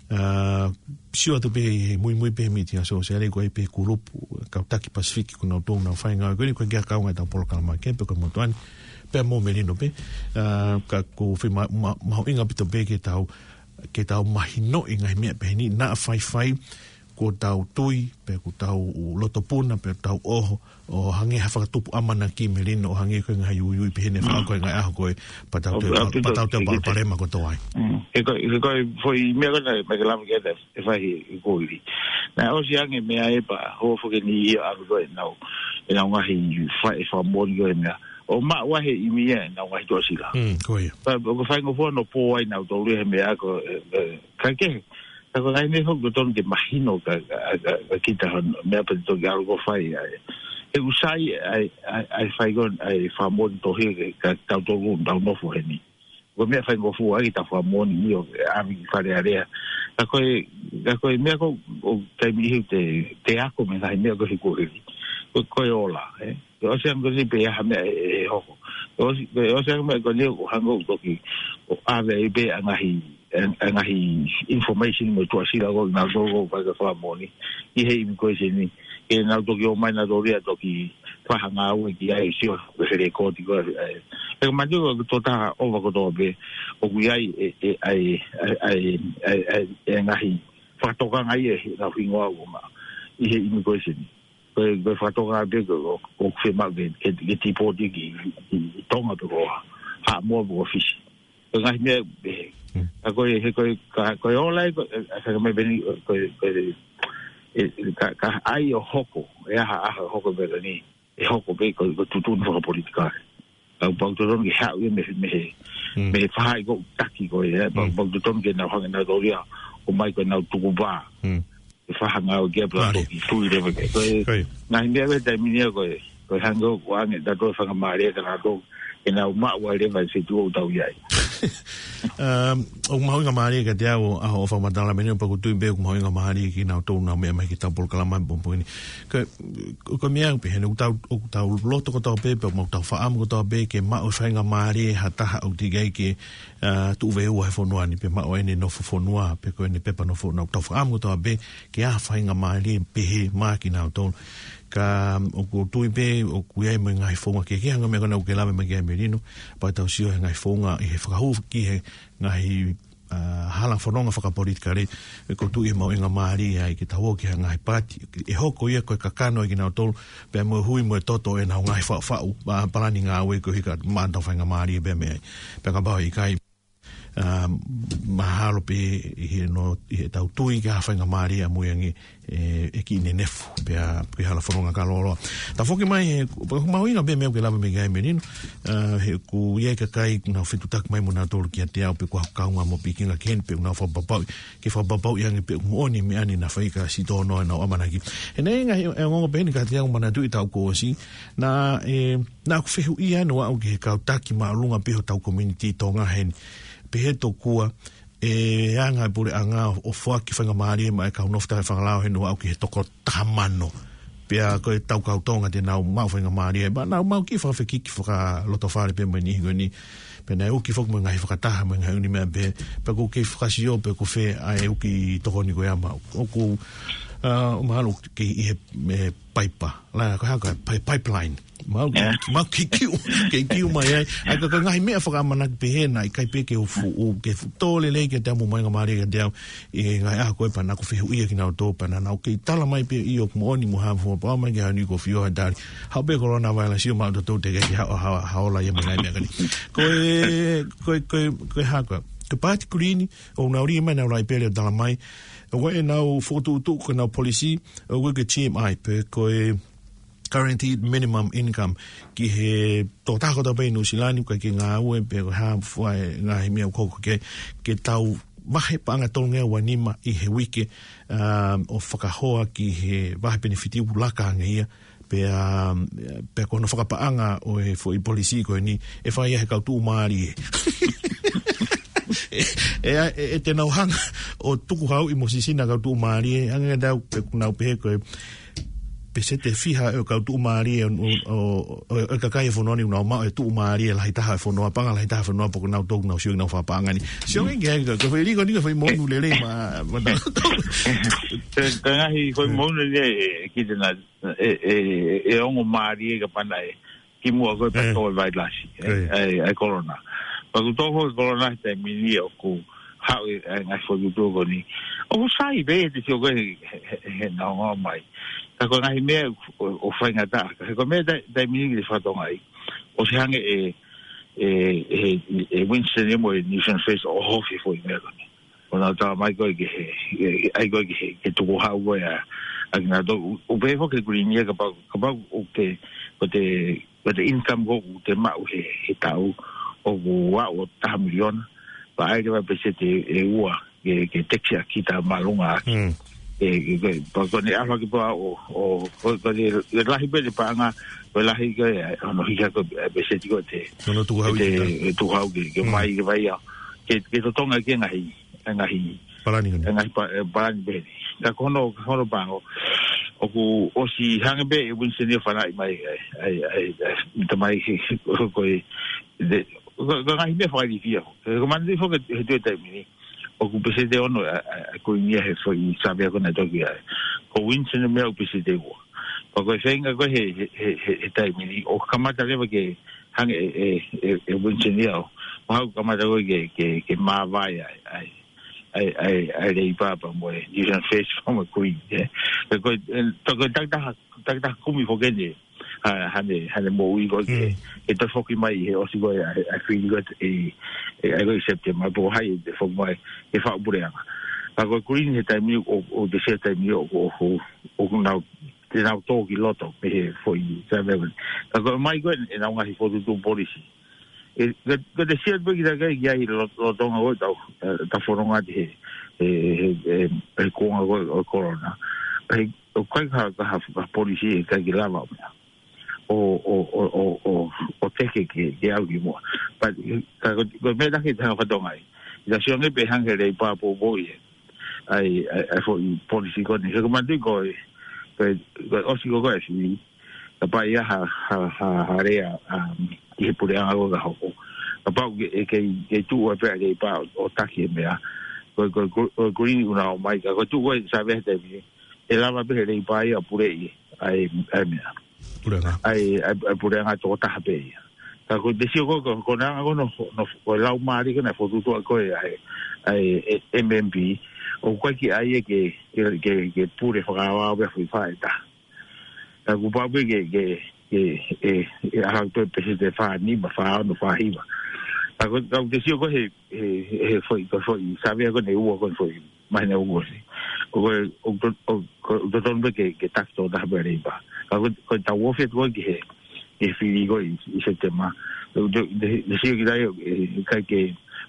ʻa, sio atu pē he muimui pē he mītia sōsiale ko e pē kulupu, kau taki Pasifiki ko nautolu naʻa nau fai e ngāue ko eni, ko e ʻikai ke ʻi ai ha kaunga ʻi heʻetau polokalama ke, pe ko e motuʻa ni, pea mo Melino pē, ʻa, ka ʻoku fie ma-, ma-, mahuʻinga ʻaupito pē ke tau, ke tau mahinoʻi e ngaahi meʻa pehē ni, naʻa faifai, kuo tau tui, pe kuo tau lotopuna, pe tau ʻoho, ʻo hangē ha fakatupu ʻamanaki Melino, ʻo hangē ko e ngaahi uiui pehē ni ʻe fai ko e ngaahi ʻaho ko ē, pea tau toe pal-, pea tau toe palopalema kotoa ai. Mm. He ko e, he ko e foʻi meʻa ko ena, meʻa ke lava ke ʻe fai he kuohili. Naʻe ʻosi ange meʻa ē pea hoko foki eni ia ʻalu ko ē ʻenau, ʻenau ngaahi fai e fakamoʻoni ko e meʻa. ʻO maʻu ai he ʻimi ia ʻenau ngaahi tuʻasila. Mm, ko ia. Pea, ʻoku faingofua hono pō ai nautolu he meʻa ko e, e, ka ke, ka ko e ngaahi meʻa ʻoku totonu ke mahino kia, kia, kia, kia kita hono, meʻa pea toki ʻalu ʻo fai ai. He ʻoku sai ʻa e, ʻa e, ʻa e fai ko ē, ʻa e fakamoʻoni tohi kia, kia tautolu ʻoku tau nofo heni. Ko e meʻa faingofua ai ke tau fakamoʻoni ʻio, ʻave ki Fale Alea. Ka ko e, ka ko e meʻa ko ē, ʻoku taimi ʻe niʻihi te, te ako mei he ngaahi meʻa ko ē he kuohili. Ko, ko e ola, ē. Ko e ʻosi ange ko eni pe ʻi ai ha meʻa ʻe, ʻe hoko. Ko e ʻosi, ko e ʻosi ange meʻa ko eni ʻoku hangē ʻoku toki, ʻo ʻave ai pē ʻa e ngaahi, ʻa e, ʻa e ngaahi information mo e tuʻasila ko ē naʻa nau ō ʻo fai e fakamoʻoni. ʻI he immigration ni. Ke nau toki ō mai nautolu ia ʻo toki fai ha ngāue ki ai sio he lēkooti ko ē, ē. He ka mate ko e tokotaha ʻofa kotoa pē, ʻoku ʻi ai e, e, ʻa e, ʻa e, ʻa e, ʻa e, ʻa e, ʻa e ngaahi fakatokanga ia he ʻenau hingoa ʻoku maʻu ʻi he immigration. Ko e, ko e fakatokanga pē ko, ko, ko e fiemaʻu ke, ke, ke tipoti ki, ki, ki Tonga pe ko Haʻamoa pe ko Fisi. Ko e ngaahi meʻa, ē, Mm. ka ko e, he ko e, ka, ko e ola ē, ko e, ʻa e faka mai pē eni, ko e, ko e, ē, ka, ka ʻai ʻo hoko, ʻe aha, aha, hoko pē ko eni, ʻe hoko pē ko, ko e tuʻutuʻuni fakapolitikale. Ka ʻoku pau totonu ke haʻu ia mei, mei he, Mm. mei he faʻahi ko ē taki ko ē, ē, pau, Mm. pau totonu ke nau hanga ʻe nautolu ia, ʻo mai ko ʻenau tukupā. Mm. ʻE fakahanga ʻo kia pea Mālie. toki tui leva ke. Ko e, Ko e. ngaahi meʻa ko e taimi ni ia ko e, ko e hangē ʻoku ʻoange ʻe nautolu e faingamālie kia nautolu, ke nau maʻu ai leva e feituʻu ʻoku tau ʻi ai. Um, ʻoku mahuʻinga mālie kiate au ʻa hoʻo fakamatala mai eni, pea ʻoku ou tui pē ʻoku mahuʻinga mālie kinautolu ʻoku nau meʻa mai ki heʻetau polokalama he pongipongi ni. Ko, ko, ko e meʻa pē heni ʻoku tau, ʻoku tau loto kotoa pē, pea mo tau fakaʻamu kotoa pē, ke maʻu e faingamālie ha taha ʻoku teʻeki ai ke, uh, tuʻu veiveiua he fonua ni, pe maʻu ʻene nofo fonua, pe ko ʻene pepa nofo fonua, ʻoku tau fakaʻamu kotoa pē, ke ʻi ai ha faingamālie pehē maʻa kinautolu. Ka, um, ʻoku ou tui pē, ʻoku ʻi ai mo e ngaahi founga kehekehe, hangē ko e meʻa ko ena ʻoku ke lave mai ki ai Melino, pea tau sio he ngaahi founga, ʻi he fakahū ki he ngaahi, uh, hala fononga fakapolitikale, ʻoku ou tui ʻe mahuʻinga mālie ai ke tau ō ki he ngaahi paati, ʻe hoko ia ko e kakano ʻa kinautolu, pea mo e hui mo e toto ʻenau ngaahi faʻufaʻu, pea palani ngāue ko e hika maʻa ʻetau faingamālie pea mei ai. Pea kapau ʻe ʻikai, um, mahalo pē ʻi he no, ʻi heʻetau tui ki ha faingamālie ʻamui ange ʻe, ʻe kiʻi nenefu, pea, pea hala fononga ka loloa. Tau foki mai, he, pea ʻoku mahuʻinga pē meʻa ʻoku ke lave mai ki ai Melino, uh, he ʻoku ʻi ai e kakai ʻoku nau fetuʻutaki mai mo nautolu kiate au pe ko haʻaku kaungā mo pikinga ki heni pe ʻoku nau fakapapauʻi, ke fakapapauʻi ange pe ʻoku moʻoni e meʻa ni naʻa fai ka sitono ʻenau ʻamanaki. He naʻe ʻi ai e ngaahi ongoongo pehē ni kiate au ʻoku ou manatuʻi taʻu kuo ʻosi, naʻe, naʻa ku fehuʻia ʻo aʻu ki he kau taki māʻolunga pē hotau community Tonga heni. Pehē tokua, ʻe anga e puleʻanga ʻo foaki faingamālie maʻa e kau nofo taʻefakalao heni ʻo aʻu ki he toko taha mano. Pea ko e tau kau Tonga te nau maʻu faingamālie, pea nau maʻu kiʻi fakafekiki fakalotofale pē mo e niʻihi ko eni. Pea naʻe uki foki mo e ngaahi fakataha, mo e ngaahi ʻū meʻa pē, pea ʻoku ou kei fakasio pe ko fē ʻa e uki tokoni ko ia maʻu. ʻOku, uh, mahalo kei ʻi he, he paipa. La, ko e hā ko e pai-, pipeline. Mau ki-, Yeah. mau kei kiu, kei kiu mai ai. ʻA ia ka, ka ngaahi meʻa fakaʻamanaki pehē naʻe ʻikai pē ke u fu-, u, ke fu-, tō lelei kiate au mo mahuʻinga mālie kiate au. ʻI he ngaahi ʻaho ko ē pea naʻa ku fehuʻia kinautolu pea naʻa nau kei tala mai pē ʻoku moʻoni mo ha fua pau mai ki ha niʻihi ko fio ha tali. Haʻu pē coronavirus ʻo maʻu toutou teʻeki ke ha, ha, ha ola ia mo e ngaahi meʻa ko eni. Ko e, ko e, ko e, ko e hā ko e. Ko e paati Kuini, ʻoku nau lī mai ʻenau laipeli ʻo tala mai. ʻOku ʻi ai ʻenau fokotuʻutuʻu ko ʻenau policy, ʻoku ui ko e T M I, pe ko e guaranteed minimum income ki he tokotaha kotoa pē ʻi Nuʻu Sila ni, ʻoku ʻikai ke ngāue pe ko e hā fua e ngaahi meʻa ʻoku hoko ki ai, ke tau vahe paʻanga tolungeau ua nima ʻi he uike, um, ʻo fakahoa ki he vahe penefiti ʻoku laka ange ia, pea, um, pea ko hono fakapaʻanga ʻo e foʻi policy ko eni, ʻe fai ia he kau tuʻumālie. ʻE, ʻe, ʻe, ʻe te nau hanga ʻo tukuhauʻi mo sisina kau tuʻumālie, hangē ko ʻetau, pe ʻoku nau pehē ko e, peseti ʻe fiha ʻo e kau tuʻumālie ʻo, ʻo, ʻo, ʻo e kakai e fonua ni ʻoku nau maʻu e tuʻumālie lahi taha e fonua, paʻanga lahi taha e fonua, pea ʻoku nau toutou nau sio ki heʻenau fakapaʻanga ni. Sio ange ki ai, ko e foʻi lī ko eni ko e foʻi monu lelei maʻa, maʻa tautolu. Ko e, ko e ngaahi foʻi monu ni ē, ē, ki te na, ē, ē, ē, ē ongo mālie ka pana ē. Kimuʻa ko e pea tō e vailasi, ē, ʻa e, ʻa e corona. Pea ʻoku tō ko e corona he taimi ni ʻoku haʻu e, e ngaahi foʻi tuʻu ko eni. ʻOku sai pē te sio ko e he, he, he, he nau ngāue mai. Ka ko e ngaahi meʻa ʻo, ʻo faingataʻa. Ka he ko e meʻa tai-, taimi ni ki te fatonga ai. ʻOsi hanga ʻe, ʻe, ʻe, ʻe Winston ia mo e New Zealand First ʻo ʻohofi e foʻi meʻa ko eni. ʻO nau tala mai ko e ke he, he, ʻai ko e ke he, ke tukuhau ko e ʻa, ʻa kinautolu, ʻo, ʻo pehē foki ki he Kuini ia kapau, kapau ʻoku te, ko te, ko te income ko ē ʻoku te maʻu he, he taʻu, ʻoku ʻalu ʻo taha miliona, pea ʻai leva peseti ʻe ua, ke, ke tax ʻaki ʻa e māʻolunga ʻaki. Mm. ʻE, ʻe, ko, ko, ko ʻene ʻalu hake pea ʻo, ʻo, ko, ko e, ko e lahi pē ʻene paʻanga, ko e lahi ko e, ʻa hono hiki ko e, ʻa e peseti ko ē te, Hono tukuhau ʻi te, kita. ʻe tukuhau ke, ke Mm. mai, ke mai au. Ke, ke totongi ki he ngaahi, ʻa e ngaahi, Palani ko eni. ʻa e ngaahi pa-, ʻa e palani pē eni. Ka ko hono, ko hono pango, ʻoku ʻosi hanga pē ʻe Winston ia ʻo fanaʻi mai, ʻa e, ʻa e, ʻa e, ʻa e, tamai he, he, ko e, te, ko, ko e ngaahi meʻa fakailifia. Ko e manatuʻi foki he toe taimi ni. ʻOku peseti ʻe ono ʻa, ʻa, ʻa e Kuini ia he foʻi savea ko ē naʻe toki ʻai. Ko Winston ia ʻoku peseti ʻe ua. Pea ko e feinga ko ē he, he, he, he, he taimi ni, ʻoku kamata leva ke hanga ʻe, ʻe, ʻe, ʻe Winston ia ʻo, ʻo haʻu kamata ko ē ke, ke, ke māvae ai, ai. ʻa e, ʻa e, ʻa e Leipa pea mo e New Zealand First pea mo e Green, ē. Ko e, ko e, ē, to ko e takitaha, takitaha kumi foki eni, ha, haʻane, haʻane moʻui ko ē ke, Mm. ke toe foki mai he ʻosi ko ē ʻa e, ʻa e fili ko ē ʻi, ʻi, ʻi, ʻi September, pe ko hai ʻe foki mai ke faʻu puleʻanga. Ka ko e Green he taimi ni, ʻo, ʻoku te sio he taimi ni, ʻo, ʻo, ʻo, ʻoku nau, te nau tō ki loto, mei he foʻi sāvea ko ē. Ka ko e ʻomai ko ē ʻenau ngaahi fokotuʻutuʻu polisi. ʻE, ko, ko te sio pē kita ki ai, ki ai lo-, lolotonga ko ē ʻetau, ē, ʻetau fononga ʻi he, he, he, he, he kuonga ko ē ʻo e corona. Pea ʻoku ʻikai ha, ha, ha polisi ʻe ʻikai ke lava ʻo meʻa. ʻO, ʻo, ʻo, ʻo, ʻo, ʻo teke ke, ke ʻalu ki muʻa. Pea, ka ko, ko e meʻa taha ke te hanga ʻo fakatokangaʻi. ʻI he sio ange pē hangē he Leipa poupouʻi ʻa e, ʻa e, ʻa e foʻi polisi ko eni. He ko e manatuʻi ko e, ko e, ko e ʻosi ko ē ʻa e fili. Kapau ʻe ʻi ai ha, ha, ha, ha lea, um, ki he puleʻanga ko ē ka hoko. Kapau ʻe, ʻe kei, kei tuʻu ai pē ʻa e Leipa ʻo, ʻo taki e meʻa. Ko, ko, ko, ko e Green ʻoku nau ō mai ka, ko e tuʻu ko ē sāvea he taimi ni. ʻE lava pē he Leipa ia ʻo puleʻi ʻa e, ʻa e meʻa. Puleʻanga. ʻA e, ʻa e, ʻa e puleʻanga tokotaha pē ia. Ka ko te sio ko ē, ko, ko e anga ko ē hono, hono, ko e laumālie ko ē ʻene fokotuʻutuʻu ko ē ʻa e, ʻa e, e, M M P. ʻOku ʻikai ke ʻai ia ke, ke, ke, ke pule fakaʻaoʻao pē foʻi faʻē ʻe taha. Ka kuo pau pē ke, ke, ke, ʻe, ʻe ʻalu pē peseti ʻe fā nima, fā ono, fā hiva. Ka ko, ka ko te sio ko ē he, he, he foʻi, ko e foʻi sāvea ko eni ʻe ua ko eni foʻi māhina ʻoku ʻosi. ʻOku, ʻoku to-, ʻoku, ʻoku totonu pē ke, ke taki tokotaha pē ʻa e Leipa. Ka ko, ko ʻetau ofi atu ko ē ki he, ki he fili ko ē ʻi, ʻi September. ʻOku te, te, te sio ki ai, ʻe, ʻikai ke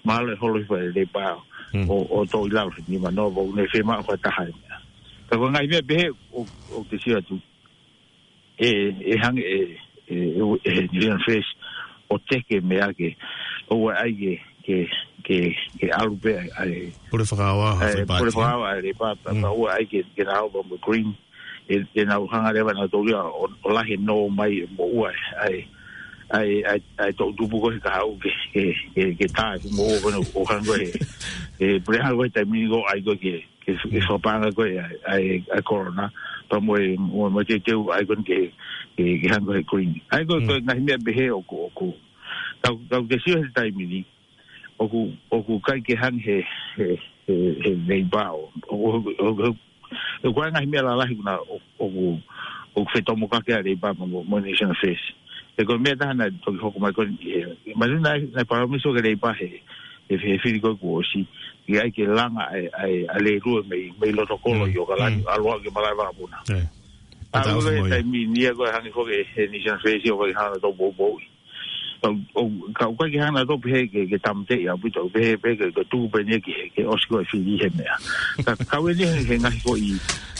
mahalo ʻe holo hifo ʻa e Leipa Mm. ʻo, ʻo toʻo ʻi lalo he nimanoa, ʻoku ne fiemaʻu ko e taha e meʻa. Ka ko e ngaahi meʻa pehē ʻoku, ʻoku te sio atu. ʻE, ʻe hangē ʻe, ʻe, ʻe, ʻe New Zealand First ʻo teke meʻa ke, ʻoua ʻe ʻai ke, ke, ke, ke ʻalu pē ʻa e Pule fakaʻaoʻao, ʻa e, foʻi pule paati, ē? fakaʻaoʻao ʻa e Leipa, pea, Mm. pea ʻoua ʻe ʻai ke, ke nau ō mo e Green, ʻe, ʻe nau hanga leva ʻe nautolu ia ʻo, ʻo lahi e nō mai ʻe moʻua ʻa e, ʻa e, ʻa e, ʻa e toʻutupu ko ē he kahaʻu ke, ke, ke, ke tā e fuʻu moʻua ko ē ʻo hangē ko ē he, he puleʻanga ko ē he taimi ni ko ē ʻai ko ē ke, ke, ke Mm. fakapaʻanga ko ē ʻa e, ʻa e, ʻa e corona, pea mo e, mo, mo e teuteu ʻai ko ē ke, ke, ke hangē ko ē he Green. ʻA ia ko, Mm. ko e ngaahi meʻa pehē ʻoku, ʻoku, ka, ka te sio he taimi ni, ʻoku, ʻoku ʻikai ke hangē he, he, he, he Leipa ʻo, ʻo, ʻo, ʻo, ʻo, ko e ngaahi meʻa lalahi ko ena ʻo, ʻoku, ʻoku fetomokaki ʻa e Leipa mo, mo, mo e New Zealand First. He ko e meʻa taha naʻe toki hoko mai ko ē, he, he, mahino naʻe, naʻe palōmesi ʻe he Leipa he, he, he fili ko ē kuo ʻosi, ʻe ʻai ke langa ʻa e, ʻa e, ʻa e lēlue mei, mei loto kolo Mm. ʻi ʻAokalani, Mm. ʻalu atu ki he malaʻe vakapuna. ʻE. ʻA, Pata ko ofi e mo ia. taimi ni ia ko e hangē foki he New Zealand First ʻoku ʻikai ke hanga ʻo poupouʻi. Ka, ʻo, ka ʻoku ʻikai ke hanga ʻo pehē ke, ke tāmateʻi ʻaupito, pehē, pehē ke, ke tuku pē eni ia ke, ke ʻosi ko ē fili he meʻa. Ka, ka ʻoku ʻi ai eni he, he ngaahi foʻi,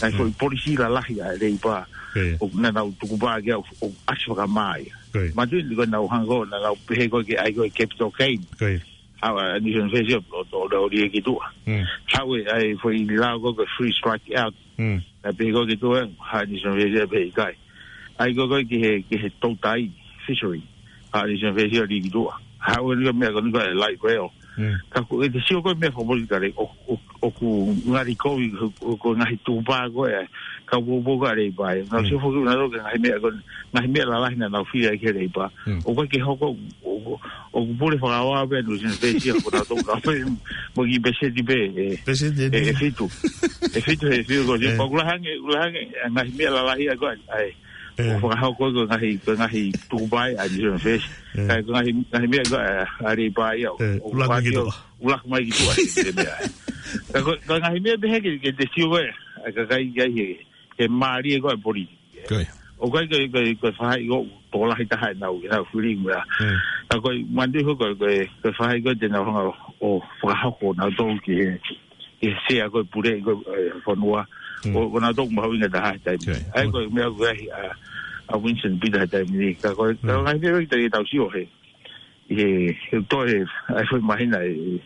ngaahi foʻi Mm. polisi lalahi ʻa e Leipa. ʻIo. ʻOku nau tukupā ki ai ʻo, ʻo ʻasi fakamā ia. ʻIo. Mahino ko ʻenau hanga ko ē, nau pehē ko ē ke ʻai ko ē capital gain. ʻIo. Haʻu ʻa e New Zealand First ʻo, ʻo, ʻo, ʻo liʻaki tuʻa. Mm. Haʻu e, ʻa e foʻi lao ko ē ko e free strike out. Mm. Naʻe pehē ko ē ki tuʻa, haʻu e New Zealand First pehē ʻikai. ʻAi ko ē ko ē ki he, ki he toutai, fishery. Haʻu e New Zealand First ʻo liʻaki tuʻa. Haʻu e ʻū meʻa ko eni ko e light rail. Mm. Ka ko e te sio ko ē meʻa fakapolitikale, ʻo, ʻo, ʻoku ngali ko ē, ʻo, ʻo, ko e ngaahi tukupā ko ē, ka poupou ko ē ʻa e Leipa. Nau Mm. sio foki nautolu ki he ngaahi meʻa ko ē, ngaahi meʻa lalahi naʻa nau fili ai ki he Leipa. Mm. ʻOku ʻikai ke hoko, ʻo, ʻo, ʻoku pule fakaʻaoʻao pē ʻa e New Zealand First ia ko nautolu ka pē mo e kiʻi peseti pē, ē, Peseti ē, ē, ē fitu. ʻE fitu he fiu ko ē. ʻE. Pea ʻoku lahi ange, ʻoku lahi ange, ʻa e ngaahi meʻa lalahi ʻa ko ē, ʻa e, ʻE. ʻoku fakahoko ko e ngaahi, ko e ngaahi tukupā ʻa e New Zealand First. ʻE. Ka ko e ngaahi, ngaahi meʻa ko ē, ʻa e Leipa ia, ʻE, ʻoku ʻuluaki mai ki tuʻa. ʻuluaki mai ki tuʻa, ʻe, ʻe meʻa. Ka ko, ko e ngaahi meʻa pehē ke, ke te sio ko ē, ʻa e kakai ki ai he, he mālie ko ē ʻa e politiki. Ko ia. ʻOku ʻikai ko e, ko e, ko e faʻahi ko ē tokolahi taha ʻenau, ʻenau fili meʻa. Mm. Ka ko e manatuʻi ko e, ko e, ko e faʻahi ko ē te nau hanga ʻo fakahoko nautolu ki he, ki he sea ko ē pule ko ē, ē, fonua. Mm. ʻO, ʻo nautolu mahuʻinga taha he taimi. Ko ia. ʻAi ko e meʻa ko ē ʻa, ʻa Winston Peters he taimi ni. Ka ko e, ka Mm. ngaahi meʻa ko ē te tau sio he. ʻI he, he toe, ʻa e foʻi māhina ʻe,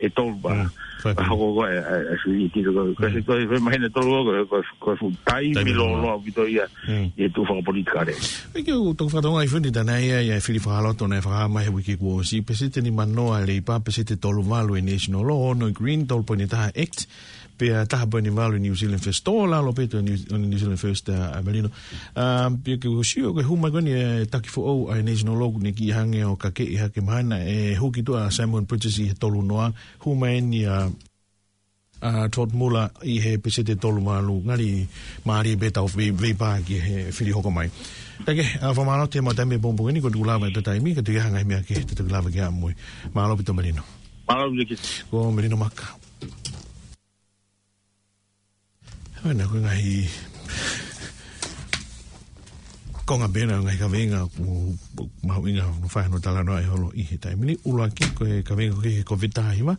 ʻe tolu pē. Mm, fai Ka pē. hoko ko ē, ʻa e, ʻa e fili ki ko ē. Ka Mm. se ko e foʻi māhina tolu ko ē, ko e, ko e fuʻu taimi Taimi lōloa. lōloa ʻaupito ia, Mm. ʻi he tuʻu fakapolitikale. ʻIo, ʻoku tau fakatokangaʻi foki ʻa e tala ʻa e fili fakaloto naʻe fakahā mai he uike kuo ʻosi, peseti ʻe nimanoa ʻa e Leipa, peseti ʻe tolu valu ʻa e National Law, ono ʻa e Green, tolu poini taha Act, pea taha poini valu New Zealand First. Tō lalo pē ʻa e New, New Zealand First, ʻa, ʻa Melino. ʻA, pea ke u sio ko e hū mai ko eni ʻa e taki foʻou ʻa e National Law ʻoku ne kiʻi hangē ʻo kakeʻi hake mahalo ʻe hū ki tuʻa ʻa Simon Bridges ʻi he tolu noa, hū mai eni ʻa ʻa Todd Muller ʻi he peseti ʻe tolu mā ua, ngali mālie pē ʻetau vei-, veipā ki he fili hoko mai. Kae kehe, ʻa, fakamālō atu he maʻu taimi ʻo e pongipongi ni, ko e tuku lava ʻetau taimi, ka ʻoku ʻi ai ha ngaahi meʻa kehe te tau toki lave ki ai mo e. Mālō ʻaupito Melino. Mālō ʻaupito. Ko Melino Maka. Hoi, naʻe ko e ngaahi konga pē ena, ngaahi kaveinga ʻoku mahuʻinga ʻo fai hono talanoa ʻi he holo ʻi he taimi ni. ʻUluaki ko e kaveinga ko e Covid taha hiva,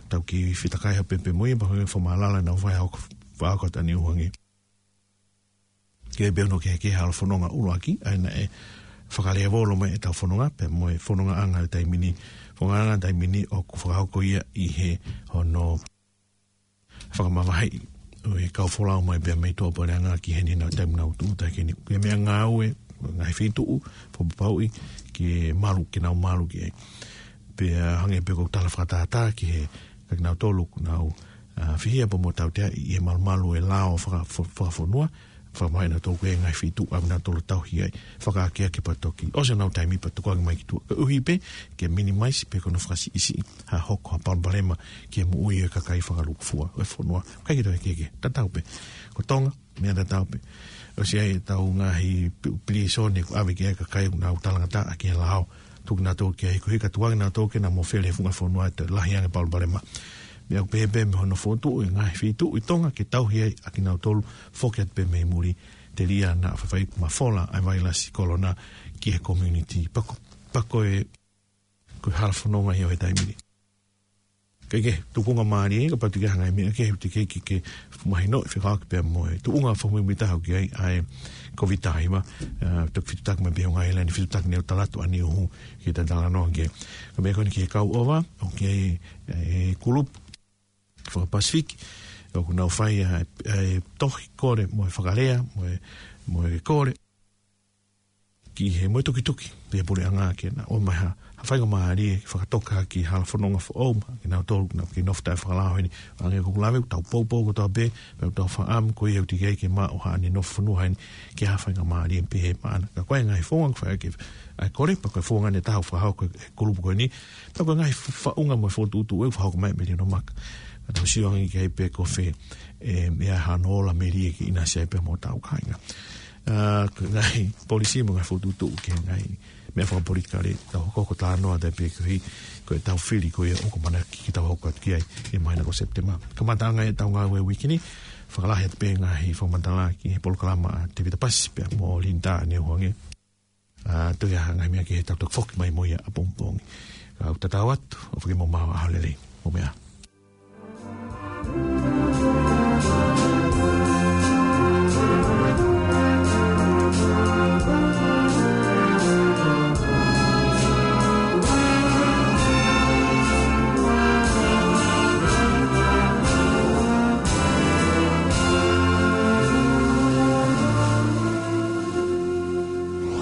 tau kiʻi fetakai ha pepe mo ia, pea ko e fakamālō ʻa e ngaahi faʻahinga hoko, faʻahinga hoko atu ʻa Niuhangē. Ke pehē hono kehekehe hala fononga ʻuluaki, ʻa ia naʻe fakalēvolo mai ʻetau fononga, pea mo e fonongaʻanga ʻo e taimi ni, fonongaʻanga ʻo e taimi ni ʻoku fakahoko ia ʻi he hono fakamavaheʻi ʻo e kau folau mai pea mei tuʻapuleʻanga ki heni ʻi he taimi ʻoku nau tuʻu atu ai ki heni. Ko e meʻangāue, ngaahi feituʻu, fakapapauʻi ke malu, ke nau malu ki ai. Pea hangē pē ko e tala fakatātā ki he, ka kinautolu ʻoku nau, ʻa, fihia pea mo tautea ʻi he malumalu ʻo e lao faka-, fo-, fakafonua, fakamai na tau ko e ngaahi feituʻu ʻa ia naʻa nau tauhi ai, fakaakeake pea toki ʻosi honau taimi pea toki ʻoange mai ki tuʻa. Koeʻuhi pē ke minimize pē ko hono fakasiʻisiʻi ha hoko ha palopalema ki he moʻui ʻo e kakai fakalūkufua ʻo e fonua. ʻIkai ke toe kehekehe, tatau pē. Ko Tonga, meʻa tatau pē. ʻOsi ʻi ai ʻetau ngaahi pi-, pilīsone ʻoku ʻave ki ai e kakai ʻoku nau talangataʻa ki he lao. Tuku kinautolu ki ai, koeʻuhi ka tuku ange kinautolu ke nau mofele he funga fonua ʻe toe lahi ange e palopalema. Meʻa ʻoku pehē pē mei hono fokotuʻu e ngaahi feituʻu ʻi Tonga ke tauhi ai ʻa kinautolu, foki atu pē mei muli, telia naʻa faifai mafola ʻa e vailasi kolona ki he community. Pea ko, pea ko e, ko e hala fononga ia ʻo e taimi ni. Kae kehe, tuʻunga mālie, kapau ʻoku ʻi ai ha ngaahi meʻa kehe ʻoku teʻeki ke, ke mahinoʻi fekauʻaki pea mo e tuʻunga fakamuimuitaha ʻoku ʻi ai ʻa e Covid taha hiva, ʻa, toki fitutaki mai pē ʻi he ngaahi ʻaho ni, fitutaki ʻene tala atu ʻa Niuhu ke ta talanoa ki ai. Ko e meʻa ko eni ki he kau ʻova, ʻoku ʻi ai e kulupu faka-Pasifiki, ʻoku nau fai ʻa e, ʻa e tohi kole mo e fakalea, mo e, mo e kole ki he mo e tukituki, pea puleʻanga ke na ʻomai ha, ha faingamālie fakatoka ki he hala fononga foʻou maʻa kinautolu ʻoku nau kei nofo taʻefakalao heni. Hangē ko ʻeku lave, ʻoku tau poupou kotoa pē, pea ʻoku tau fakaʻamu ko ia ʻoku teʻeki ai ke maʻu haʻane nofo fonua heni ki ha faingamālie pehē maʻana. Ka ko e ngaahi founga ʻoku fai ʻaki ʻa e kole, pea ko e founga ʻe taha ʻoku fakahoko ʻe he kulupu ko eni, pea ko e ngaahi fa-, faʻunga mo e fokotuʻutuʻu ʻoku fakahoko mai ʻe Melino Maka. Ka tau sio ange ki ai pē ko fē, ʻe, ʻe ʻi ai hano ola melie ke ʻinasi ai pea mo hotau kāinga. ʻA, ko e ngaahi polisī mo e ngaahi fokotuʻutuʻu ki he ngaahi meʻa fakapolitikale, tau hokohoko talanoa atu pē koeʻuhi ko ʻetau fili ko ia ʻoku ʻamanaki ke tau hoko atu ki ai ʻi he māhina ko Sepitema. Kamataʻanga ʻetau ngāue uike ni, fakalahi atu pē ngaahi fakamatala ki he polokalama ʻa Tevita Pasi pea mo Linda Niuhangē. ʻA, toe ʻi ai ha ngaahi meʻa kehe tau toki foki mai mo ia ʻapongipongi. Kau tatau atu, ʻofa ke mou maʻu ʻaho lelei. Mou meʻa ā.